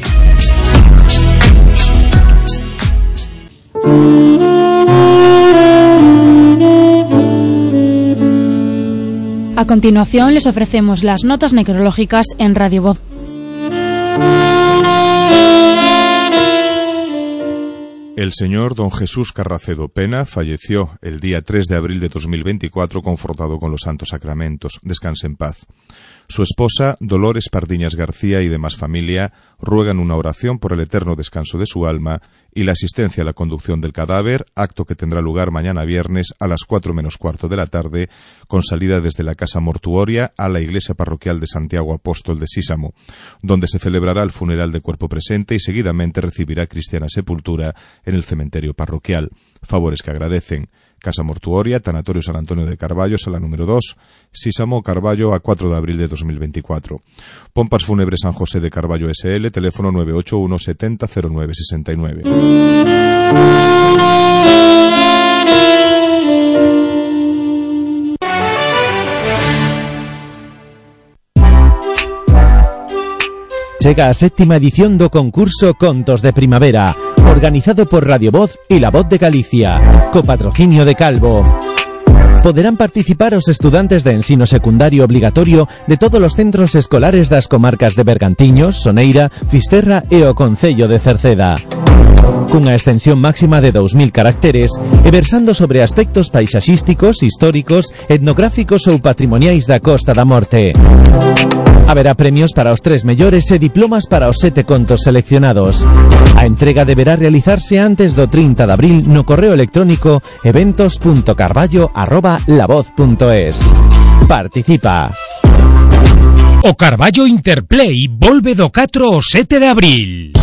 A continuación les ofrecemos las notas necrológicas en Radio Voz. El señor don Jesús Carracedo Pena falleció el día tres de abril de dos mil veinticuatro confortado con los santos sacramentos. Descanse en paz. Su esposa, Dolores Pardiñas García, y demás familia ruegan una oración por el eterno descanso de su alma y la asistencia a la conducción del cadáver, acto que tendrá lugar mañana viernes a las cuatro menos cuarto de la tarde, con salida desde la casa mortuoria a la iglesia parroquial de Santiago Apóstol de Sísamo, donde se celebrará el funeral de cuerpo presente y seguidamente recibirá cristiana sepultura en el cementerio parroquial. Favores que agradecen: Casa Mortuoria, Tanatorio San Antonio de Carballo, sala número dos, Sísamo, Carballo, a cuatro de abril de dos mil veinticuatro. Pompas Fúnebres San José de Carballo S L, teléfono nueve ocho uno, setenta, cero nueve sesenta y nueve. Chega a séptima edición do concurso Contos de Primavera, organizado por Radio Voz y La Voz de Galicia, copatrocinio de Calvo. Poderán participar os estudantes de ensino secundario obligatorio de todos os centros escolares das comarcas de Bergantiños, Soneira, Fisterra e o Concello de Cerceda. Cunha extensión máxima de dous mil caracteres e versando sobre aspectos paisaxísticos, históricos, etnográficos ou patrimoniais da Costa da Morte. Haberá premios para os tres mellores e diplomas para os sete contos seleccionados. A entrega deberá realizarse antes do trinta de abril no correo electrónico eventos punto carballo arroba lavoz punto es. Participa. O Carballo Interplay volve do catro ao sete de abril.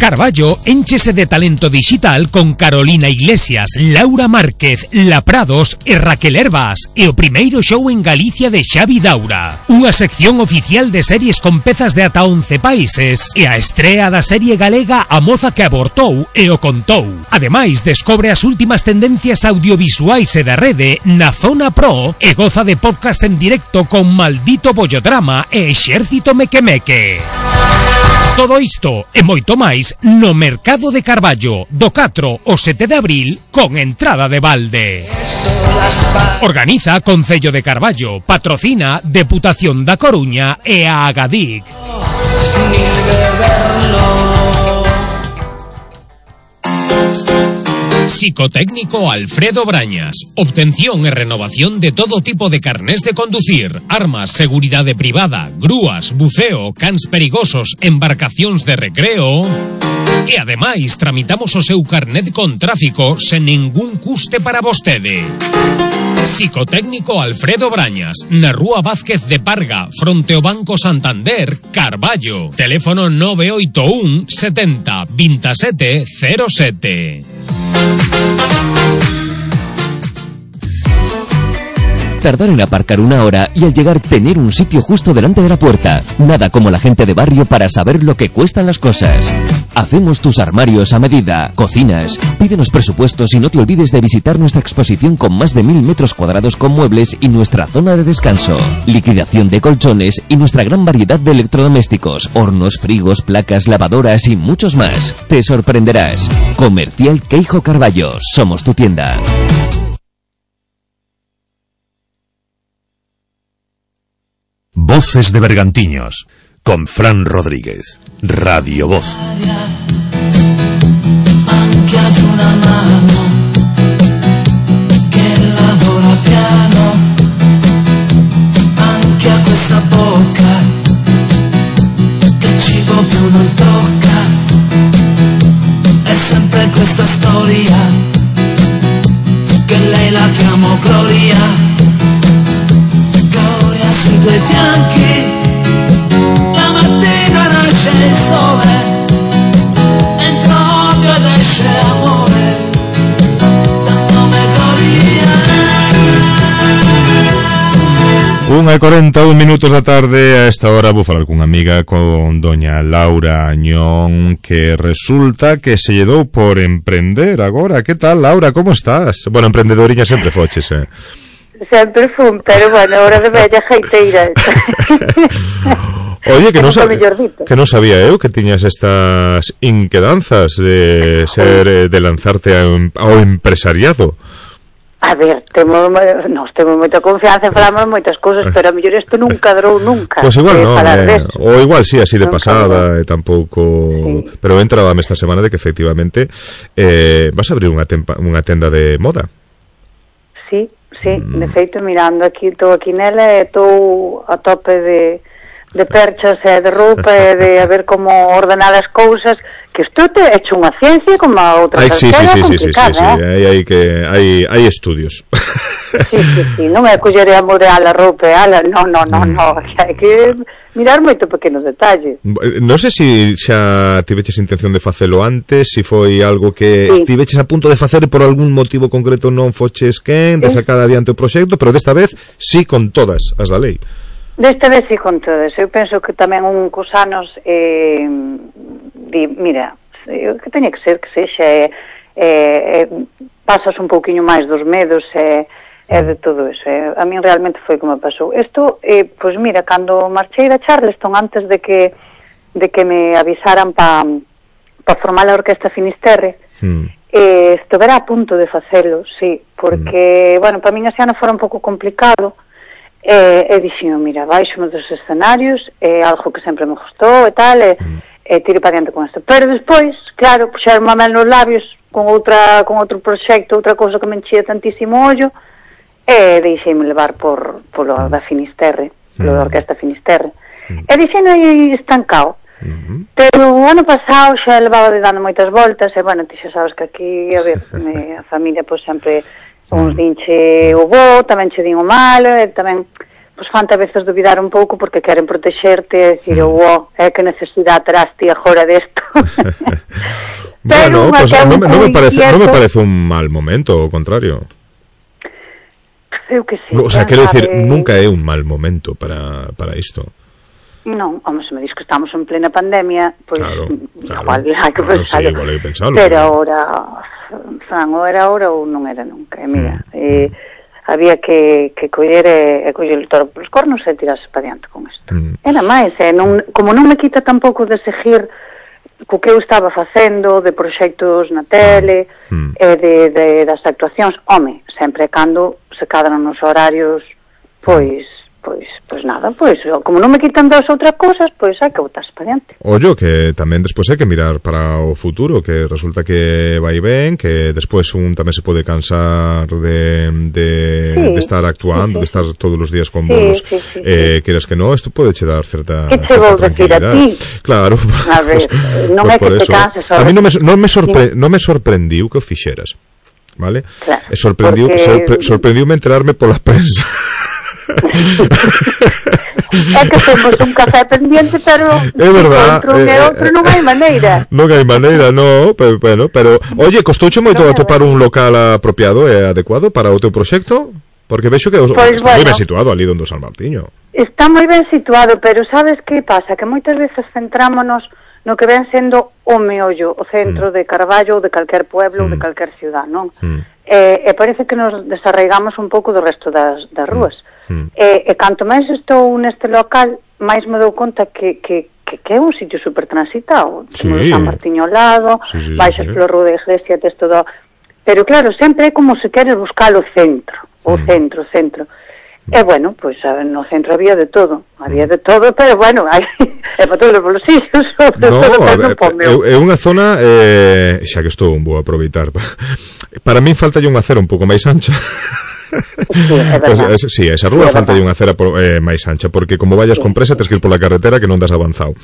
Carballo énchese de talento digital con Carolina Iglesias, Laura Márquez, La Prados e Raquel Herbas e o primeiro show en Galicia de Xavi Daura. Unha sección oficial de series con pezas de ata once países e a estrea da serie galega A Moza que Abortou e o Contou. Ademais, descobre as últimas tendencias audiovisuais e da rede na Zona Pro e goza de podcast en directo con Maldito Bollodrama e Exército Mequemeque. Todo isto e moito máis no Mercado de Carballo do catro ao sete de abril con entrada de balde. Organiza Concello de Carballo, patrocina Deputación da Coruña e a Agadic. Psicotécnico Alfredo Brañas. Obtención e renovación de todo tipo de carnés de conducir, armas, seguridade privada, grúas, buceo, cans perigosos, embarcacións de recreo. E ademais tramitamos o seu carnet con tráfico sen ningún custe para vostede. Psicotécnico Alfredo Brañas, na Rúa Vázquez de Parga, fronte ao Banco Santander, Carballo. Teléfono nove oito un setenta veintisiete cero sete. Tardar en aparcar una hora y al llegar tener un sitio justo delante de la puerta. Nada como la gente de barrio para saber lo que cuestan las cosas. Hacemos tus armarios a medida, cocinas. Pídenos presupuestos y no te olvides de visitar nuestra exposición con más de mil metros cuadrados con muebles y nuestra zona de descanso. Liquidación de colchones y nuestra gran variedad de electrodomésticos, hornos, frigos, placas, lavadoras y muchos más. Te sorprenderás. Comercial Queijo Carballo. Somos tu tienda. Voces de Bergantiños, con Fran Rodríguez, Radio Voz. Anche ad una mano che lavora piano, anche a questa bocca che cibo più non tocca, è sempre questa storia che lei la chiamo Gloria. Sui tuoi fianchi la mattina nasce il sole, entra odio ed esce amore, dal nome Gloria. Unha e cuarenta e un minutos da tarde. A esta hora vou falar cunha amiga, con doña Laura Añón, que resulta que se lle dou por emprender agora. Que tal, Laura, como estás? Bueno, emprendedoriña sempre foches, eh? Sempre fun, pero bueno, ahora de bella jeiteira. Oye, que non sabía, que non sabía eu que tiñas estas inquedanzas de ser, de lanzarte ao empresariado. A ver, temos, nos temos moita confianza e falamos moitas cousas, pero a mellor isto nunca durou nunca. Pois pues igual non, eh, ou igual sí, así de nunca pasada, e tampouco... Sí. Pero entrábame esta semana de que efectivamente eh, vas a abrir unha, tempa, unha tenda de moda. Sí. Sí, de feito, mirando aquí, estou aquí nela e estou a tope de, de perchas e de roupa e de a ver como ordenar as cousas, que isto te é hecho unha ciencia como a outra. Ai, sí, sí, sí, sí, sí, sí, sí, hai, hai, que, hai, hai estudios. Sí, sí, sí, non é coller e amorear a roupa e ala, non, non, non, non, hai que mirar moito pequenos detalles. Non sei se xa tiveches intención de facelo antes, se foi algo que sí. estiveches a punto de facer e por algún motivo concreto non foches quen de sacar adiante o proxecto, pero desta vez sí con todas as da lei. Desta vez sí con todas. Eu penso que tamén un cos anos eh, di, mira, o que teña que ser que sexa eh, eh, pasas un pouquiño máis dos medos e eh, é de todo eso. Eh. A min realmente foi como pasou. Isto, eh, pois mira, cando marchei da Charleston, antes de que de que me avisaran para pa formar a Orquesta Finisterre, mm. eh, estivera a punto de facelo, sí, porque, mm. bueno, para min ese ano fora un pouco complicado, eh, e dixen, mira, baixo dos escenarios, é eh, algo que sempre me gustou e tal, e, mm. e tire para diante con isto. Pero despois, claro, puxeron a mel nos labios con outra con outro proxecto, outra cousa que me enchía tantísimo ollo, e deixeime levar por polo da Finisterre, polo da Orquesta Finisterre, e deixeime aí estancado. Uh-huh. Pero o ano pasado xa levaba de dando moitas voltas, e bueno, ti xa sabes que aquí, a ver, me, a familia pois sempre uns dinche o bo, tamén che din o malo, e tamén pois fanta a veces dubidar un pouco porque queren protexerte e dicir, mm. oh, é que necesidade terás ti agora desto. Bueno, pues non, non, me parece, non me parece un mal momento, ao contrario. Eu que sí. O sea, quero dicir, nunca é un mal momento para, para isto. Non, home, se me dis que estamos en plena pandemia, pois claro, claro, igual hai que claro, pensarlo. Sí, igual hai que pensarlo. Pero claro. ahora, Fran, ou era ahora ou non era nunca. E mira, mm. eh, había que, que coller e, e coller o toro polos cornos e tirarse para diante con isto. Mm. Era máis, eh, non, como non me quita tampouco de seguir co que eu estaba facendo, de proxectos na tele, mm. e de, de, das actuacións, home, sempre cando se cadran nos horarios, pois... Pois, pois nada, pois, como non me quitan das outras cousas, pois hai que botarse para diante. Ollo, que tamén despois hai que mirar para o futuro, que resulta que vai ben, que despois un tamén se pode cansar de, de, sí, de estar actuando, sí, sí, de estar todos os días con bolos, sí, sí, sí, eh, sí. Queres que non, isto pode che dar certa, que te vou decir a ti? Claro. A ver, pues, non é que te canses. A mí non me, non me, sorpre, non me sorprendiu que o fixeras, vale? Claro, e sorprendiu, porque... sorpre, sorprendiume enterarme pola prensa. É que temos un café pendiente, pero é verdad, outro e eh, outro non hai maneira. Non hai maneira, no, pero bueno, pero oye, costouche moito no, atopar un local apropiado e adecuado para o teu proxecto? Porque vexo que pues, está bueno, moi ben situado ali donde o San Martiño. Está moi ben situado, pero sabes que pasa? Que moitas veces centrámonos no que ven sendo o meollo, o centro mm. de Carballo ou de calquer pueblo mm. ou de calquer ciudad, non? Mm. E, e parece que nos desarraigamos un pouco do resto das, das rúas. Mm. E, e canto máis estou neste local, máis me dou conta que, que, que, que é un sitio super transitado. Sí. Temos San Martiño ao lado, sí, sí, baixas sí, polo Rúa da Iglesia, tes todo... Pero claro, sempre é como se queres buscar o centro, o mm. centro, o centro. E bueno, pois pues, no centro había de todo, había de todo, pero bueno, hai é para todos os bolsillos. No, é, é unha zona, eh, xa que estou, vou aproveitar. Para min falta unha acera un pouco máis ancha. Sí, é verdad. Pues, sí, esa rúa sí, falta unha acera por, eh, máis ancha, porque como vayas sí. con presa tens que ir pola carretera que non das avanzado.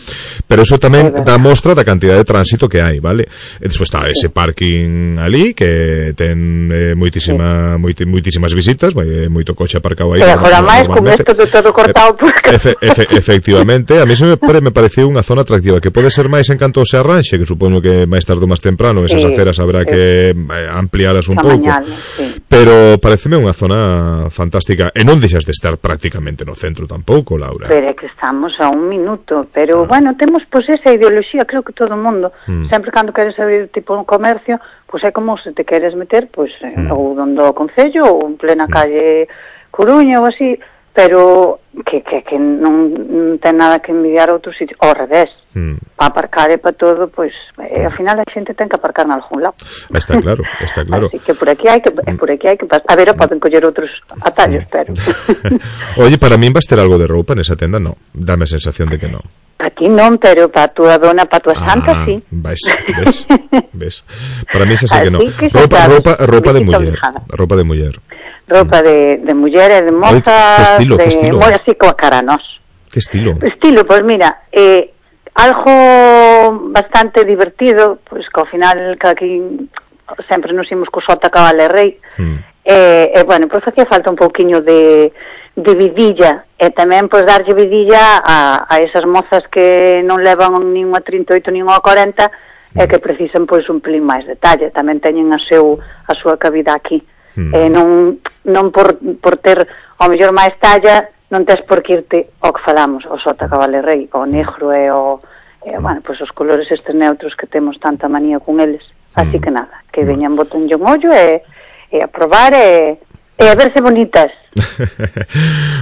Pero eso tamén dá mostra da cantidad de tránsito que hai, vale? E despois está sí. ese parking ali que ten eh, moitísima, sí. moiti, moitísimas visitas, vai, moito coche aparcado aí. Pero agora máis con isto de todo cortado por... Efe, efe, efectivamente, a mí se me, pare, me pareceu unha zona atractiva, que pode ser máis en canto se arranxe, que supoño que máis tarde ou máis temprano esas sí, aceras habrá sí. que amplialas un pouco. Sí. Pero pareceme unha zona fantástica e non deixas de estar prácticamente no centro tampouco, Laura. Pero é que estamos a un minuto, pero ah. bueno, temos pois esa ideoloxía, creo que todo o mundo, mm. sempre cando queres abrir tipo un comercio, pois é como se te queres meter, pois mm. ou donde o Concello ou en plena mm. calle Coruña ou así, pero que, que, que non, non ten nada que envidiar a outros sitios, ao revés. Mm. Para aparcar e para todo, pois eh, ao final a xente ten que aparcar en algún lado. Está claro, está claro. Así que por aquí hai que mm. por aquí hai que pasar. A ver, poden coller outros atallos, mm. pero Oye, para min vas ter algo de roupa nesa tenda? No, dame a sensación de que non. Para ti non, pero para a túa dona, para a túa ah, santa, sí. Ves, ves, ves. Para mí xa sei que non. Roupa, roupa, roupa de muller, roupa de muller. Roupa de, de muller e de moza. Que estilo, de, que estilo. Moi así como a cara nós. Que estilo? Estilo, pois pues mira, eh, algo bastante divertido, pois pues, que ao final que aquí sempre nos imos co Sota Cabale Rei. Mm. E, e bueno, pois pues, facía falta un pouquiño de, de vidilla, e tamén pois pues, darlle vidilla a, a esas mozas que non levan nin unha trinta e oito nin unha cuarenta mm. e que precisan pois un pelín máis detalle, tamén teñen a, seu, a súa cabida aquí. Mm. E non, non por, por ter ao mellor máis talla non tes por que irte ao que falamos, o Sota Cabale Rei, o negro e o e, bueno, pois os colores estes neutros que temos tanta manía con eles, así mm. que nada, que veñan botenlle un ollo e, e a probar e, e a verse bonitas.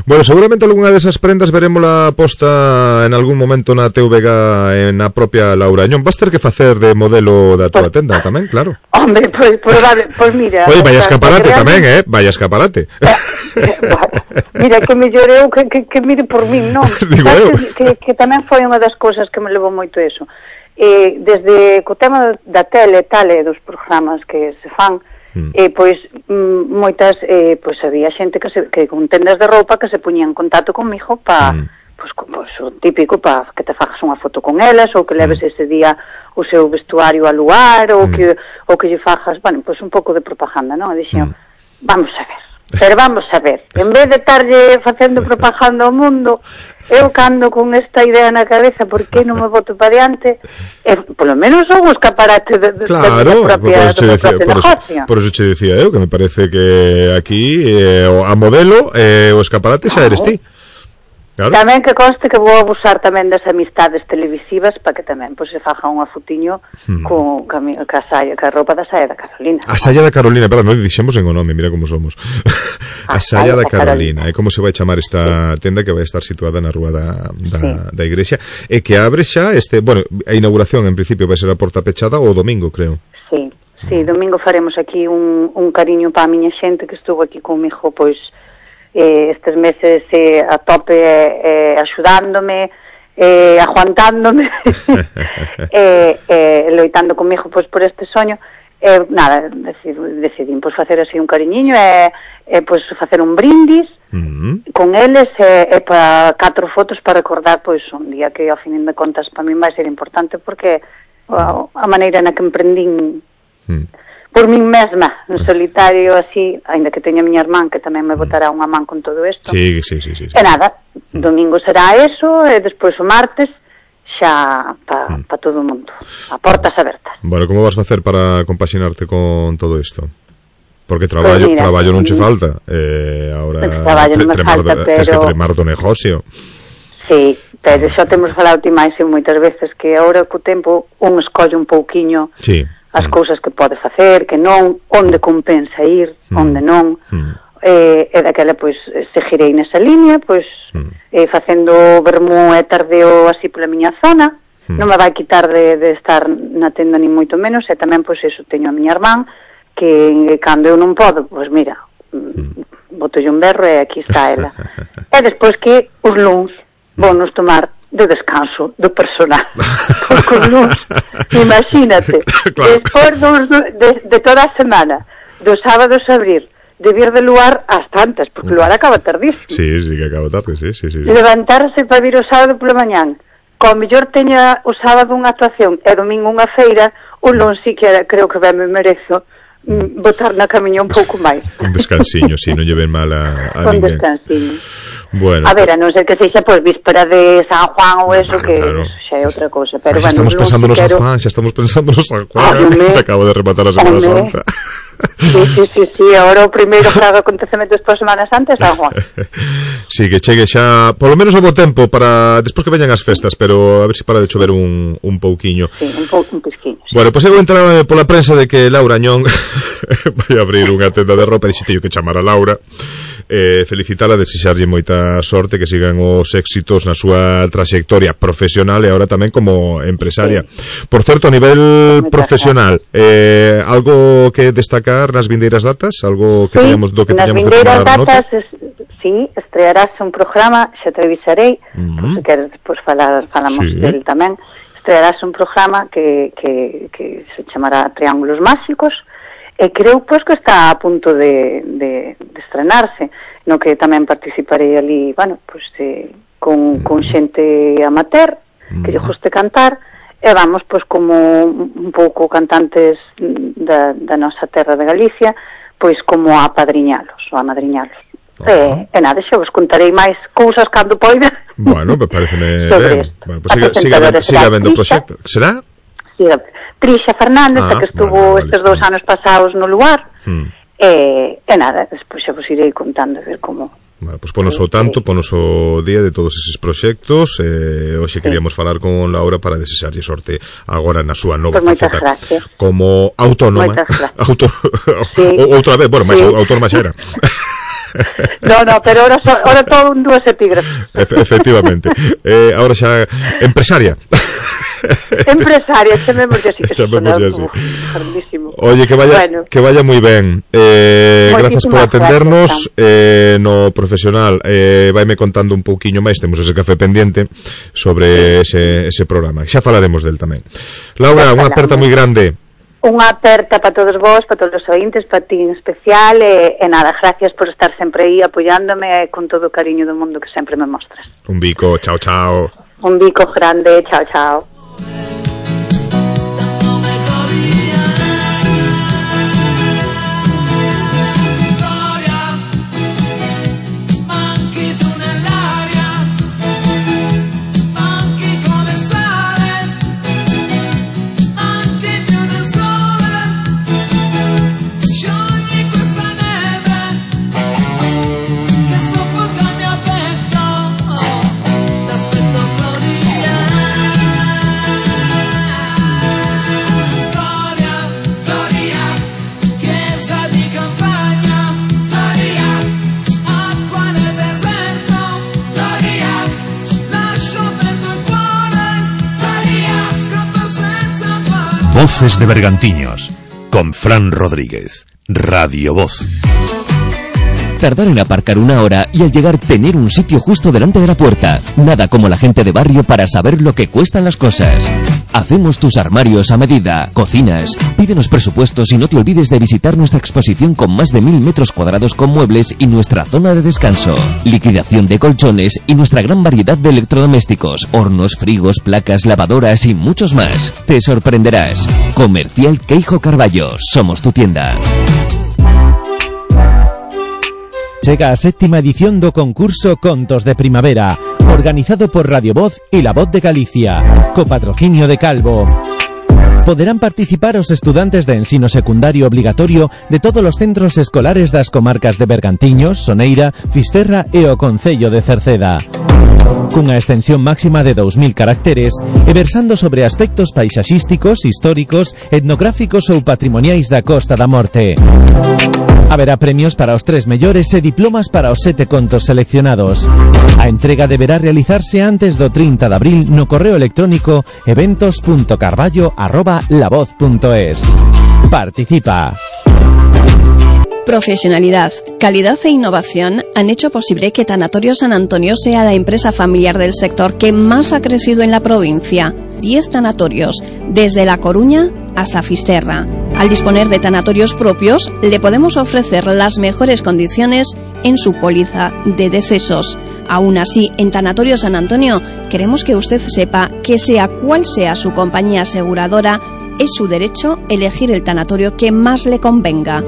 Bueno, seguramente algunha desas prendas veremosla posta en algún momento na T V G en a propia Laura Añón. Vas ter que facer de modelo da tua pues, tenda tamén, claro. Hombre, pois pues, pues, pues mira. Oye, vaya escaparate tamén, eh? Vaya escaparate. Bueno, mira, que mellor eu que, que, que mire por min, non? Digo eu. Que, que, que tamén foi unha das cousas que me levou moito eso. Eh, desde co tema da tele e tal e dos programas que se fan, Mm. E pois m, moitas eh, pois había xente que, se, que con tendas de roupa que se poñían en contacto comigo para mm. pois, pois o típico para que te fagas unha foto con elas ou que leves mm. ese día o seu vestuario a lugar ou mm. que ou que lle fajas, bueno, pois un pouco de propaganda, non? E dixen, mm. vamos a ver. Pero vamos a ver, en vez de estarlle facendo propaganda ao mundo, eu cando con esta idea na cabeza, por que non me boto para diante, eh, polo menos son un escaparate de, de, claro, de propia, por, do decía, propio por, negocio. Por eso che decía eu, que me parece que aquí eh, a modelo eh, o escaparate xa eres ti. Claro. Tamén que conste que vou abusar tamén das amistades televisivas para que tamén pois, se faja unha fotiño hmm. co, ca, ca, saia, ca roupa da saia da Carolina. A saia da Carolina, verdad, non dixemos en o nome, mira como somos. A, a saia da Carolina, é como se vai chamar esta sí. tenda que vai estar situada na rúa da, da, sí. da igrexa, e que abre xa este, bueno, a inauguración en principio vai ser a porta pechada o domingo, creo. Sí, sí, domingo faremos aquí un, un cariño para a miña xente que estuvo aquí comigo, pois, Eh, estes meses eh, a tope eh, axudándome, eh, aguantándome, eh, eh, loitando comigo pois, por este soño. Eh, nada, decid, decidín pois, facer así un cariñiño e eh, eh, pois, facer un brindis mm-hmm. con eles e eh, eh, para catro fotos para recordar pois, un día que ao fin de contas para min vai ser importante porque a, a maneira na que emprendín mm. por min mesma, en solitario así, ainda que teña a miña irmán que tamén me botará unha man con todo isto. Sí, sí, sí, sí, sí. E nada, domingo será eso, e despois o martes xa pa, mm. pa todo o mundo, a portas abertas. Bueno, como vas facer para compaxinarte con todo isto? Porque traballo, pues mira, traballo non che falta. Eh, ahora pues traballo non me falta, do, pero... Tens que tremar do negocio. Sí, pero xa temos falado ti máis moitas veces que agora co tempo un escolle un pouquiño... Sí. as mm. cousas que pode facer, que non, onde compensa ir, mm. onde non, mm. eh, e daquela, pois, seguirei nesa línea, pois, mm. eh, facendo vermú e tardeo así pola miña zona, mm. non me vai quitar de, de estar na tenda ni moito menos, e tamén, pois, eso, teño a miña irmán, que cando eu non podo, pois, mira, mm. botolle un berro e aquí está ela. E despois que os luns vou nos tomar de descanso do personal porque os luns, imagínate claro. Despois dos, de, de toda a semana dos sábados a abrir de vir de Luar ás tantas, porque Luar acaba tardísimo. Sí, sí, que acaba tarde, sí, sí, sí. Levantarse para vir o sábado pola mañán, como mellor teña o sábado unha actuación e domingo unha feira, o luns si que creo que ben me merezo mm, botar na camiña un pouco máis. Un descansiño, si, non lle ven mal a, a un ninguén. Un descansiño. Bueno, a ver, a non ser que sexa pois víspera de San Juan ou eso, claro, que claro. xa é outra cousa, pero ah, bueno, estamos pensando no San Juan, xa estamos pensando no San Juan. Te acabo de rematar a Semana Santa. Sí, sí, sí, sí, agora o primeiro grado acontecemento despois Semana Santa é San Juan. Sí, que chegue xa, polo menos ao bo tempo para despois que veñan as festas, pero a ver se para de chover un, un pouquiño. Sí, un pouco, un pisquiño. Sí. Bueno, pois pues eu entrar pola prensa de que Laura Añón vai abrir unha tenda de roupa, dixete que chamar a Laura. Eh, felicitala, desexarlle moita sorte, que sigan os éxitos na súa trayectoria profesional e agora tamén como empresaria. Sí. Por certo, a nivel Moita profesional, eh, algo que destacar nas vindeiras datas? Algo que sí, teñamos do que teñamos que tomar datas, nota? Es, sí, estrearás un programa, xa te avisarei, uh-huh. por se queres despois falar, falamos sí. del tamén. Estrearás un programa que, que, que se chamará Triángulos Máxicos, e creo pois que está a punto de, de, de estrenarse, no que tamén participarei ali, bueno, pois eh, con, con xente amateur que lle guste cantar, e vamos pois como un pouco cantantes da, da nosa terra de Galicia, pois como a apadriñalos ou a madriñalos. Uh-huh. E, e nada, xa vos contarei máis cousas cando poida. Bueno, me pareceme ben. Bueno, pues siga, siga, siga, siga vendo o proxecto. Será? Siga. Trisha Fernández, ah, que estuvo vale, vale, estes dous anos pasados no lugar, hmm. e, e nada, despois xa vos irei contando a ver como... Vale, pois pues ponos o tanto, ponos o día de todos eses proxectos, eh, hoxe sí. queríamos falar con Laura para desexarlle sorte agora na súa nova pues faceta como autónoma. Auto... sí. Outra vez, bueno, máis sí. autónoma xa era. No, no, pero ahora, so, ahora todo un dúas epígrafes. Efe, efectivamente. Eh, ahora xa empresaria. Empresaria, chamemos así, que chamemos así. Grandísimo. Oye, que vaya, bueno. que vaya moi ben. Eh, grazas por atendernos. Gracias, eh, no profesional, eh, vaime contando un pouquiño máis, temos ese café pendiente sobre sí. ese, ese programa. Xa falaremos del tamén. Laura, unha aperta moi grande. Unha aperta para todos vos, para todos os ointes, para ti en especial, e, e nada, gracias por estar sempre aí apoiándome con todo o cariño do mundo que sempre me mostras. Un bico, chao, chao. Un bico grande, chao, chao. Voces de Bergantiños, con Fran Rodríguez, Radio Voz. Tardar en aparcar una hora y al llegar tener un sitio justo delante de la puerta. Nada como la gente de barrio para saber lo que cuestan las cosas. Hacemos tus armarios a medida, cocinas. Pídenos presupuestos y no te olvides de visitar nuestra exposición con más de mil metros cuadrados con muebles y nuestra zona de descanso. Liquidación de colchones y nuestra gran variedad de electrodomésticos, hornos, frigos, placas, lavadoras y muchos más. Te sorprenderás. Comercial Queijo Carballo. Somos tu tienda. Chega a séptima edición do concurso Contos de Primavera, organizado por Radio Voz y La Voz de Galicia, co patrocinio de Calvo. Poderán participar os estudantes de ensino secundario obligatorio de todos os centros escolares das comarcas de Bergantiños, Soneira, Fisterra e o Concello de Cerceda. Cunha extensión máxima de dous mil caracteres e versando sobre aspectos paisaxísticos, históricos, etnográficos ou patrimoniais da Costa da Morte. Haberá premios para os tres mellores e diplomas para os sete contos seleccionados. A entrega deberá realizarse antes do trinta de abril no correo electrónico eventos punto carballo arroba lavoz punto es. Participa. Profesionalidad, calidad e innovación han hecho posible que Tanatorio San Antonio sea la empresa familiar del sector que más ha crecido en la provincia. Diez tanatorios, desde La Coruña hasta Fisterra. Al disponer de tanatorios propios, le podemos ofrecer las mejores condiciones en su póliza de decesos. Aún así, en Tanatorio San Antonio, queremos que usted sepa que sea cual sea su compañía aseguradora, es su derecho elegir el tanatorio que más le convenga.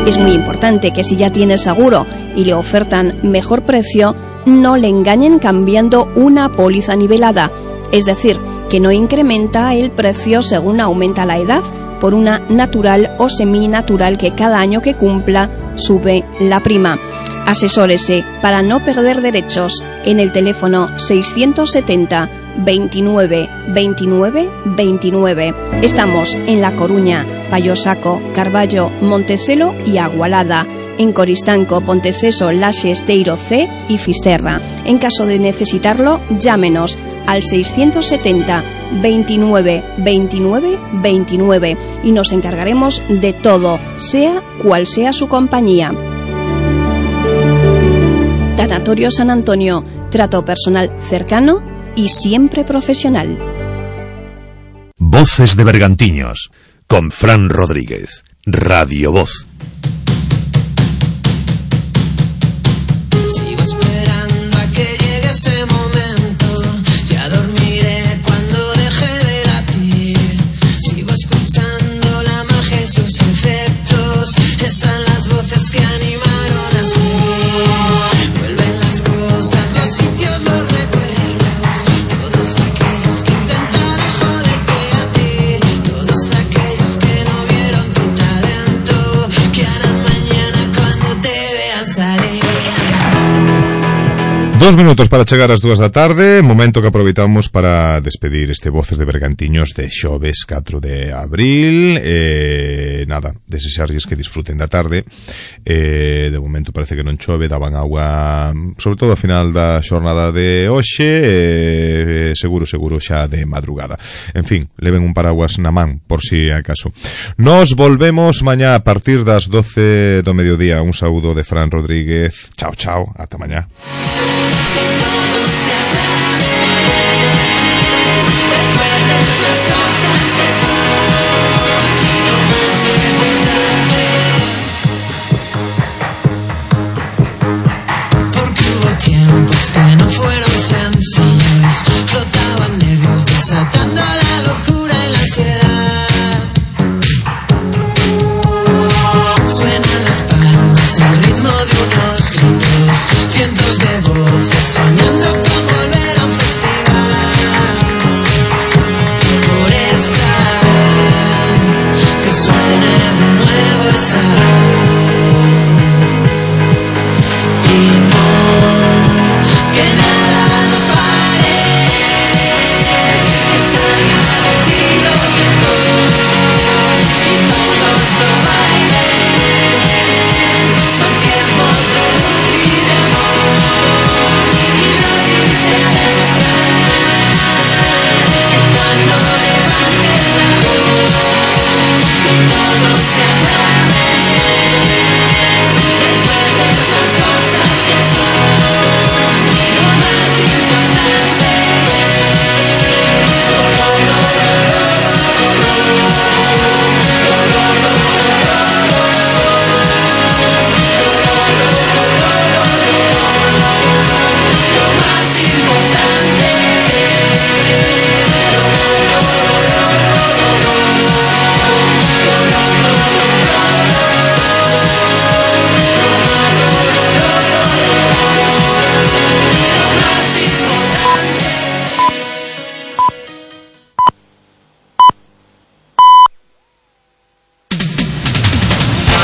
Es muy importante que si ya tiene seguro y le ofertan mejor precio, no le engañen cambiando una póliza nivelada, es decir, que no incrementa el precio según aumenta la edad, por una natural o seminatural que cada año que cumpla sube la prima. Asesórese para no perder derechos en el teléfono seiscientos setenta veintinueve veintinueve veintinueve. Estamos en La Coruña, Payosaco, Carballo, Montecelo y Agualada. En Coristanco, Ponteceso, Laxe, Esteiro C y Fisterra. En caso de necesitarlo, llámenos al seiscientos setenta veintinueve veintinueve veintinueve y nos encargaremos de todo, sea cual sea su compañía. Tanatorio San Antonio, trato personal cercano y siempre profesional. Voces de Bergantiños, con Fran Rodríguez, Radio Voz. Sigo esperando a que llegue ese momento. Ya dormiré cuando deje de latir. Sigo escuchando la magia y sus efectos. Están las voces que animaron así. Vuelven las cosas, los sitios, los recuerdos. Todos aquellos que intentaron joderte a ti. Todos aquellos que no vieron tu talento. Que harán mañana cuando te vean salir. Dos minutos para chegar ás dúas da tarde, momento que aproveitamos para despedir este Voces de Bergantiños de xoves catro de abril. Eh, nada, desexarlles que disfruten da tarde. Eh, de momento parece que non chove, daban agua, sobre todo ao final da xornada de hoxe, eh, seguro, seguro xa de madrugada. En fin, leven un paraguas na man, por si acaso. Nos volvemos mañá a partir das doce do mediodía. Un saúdo de Fran Rodríguez. Chao, chao, ata mañá. Todos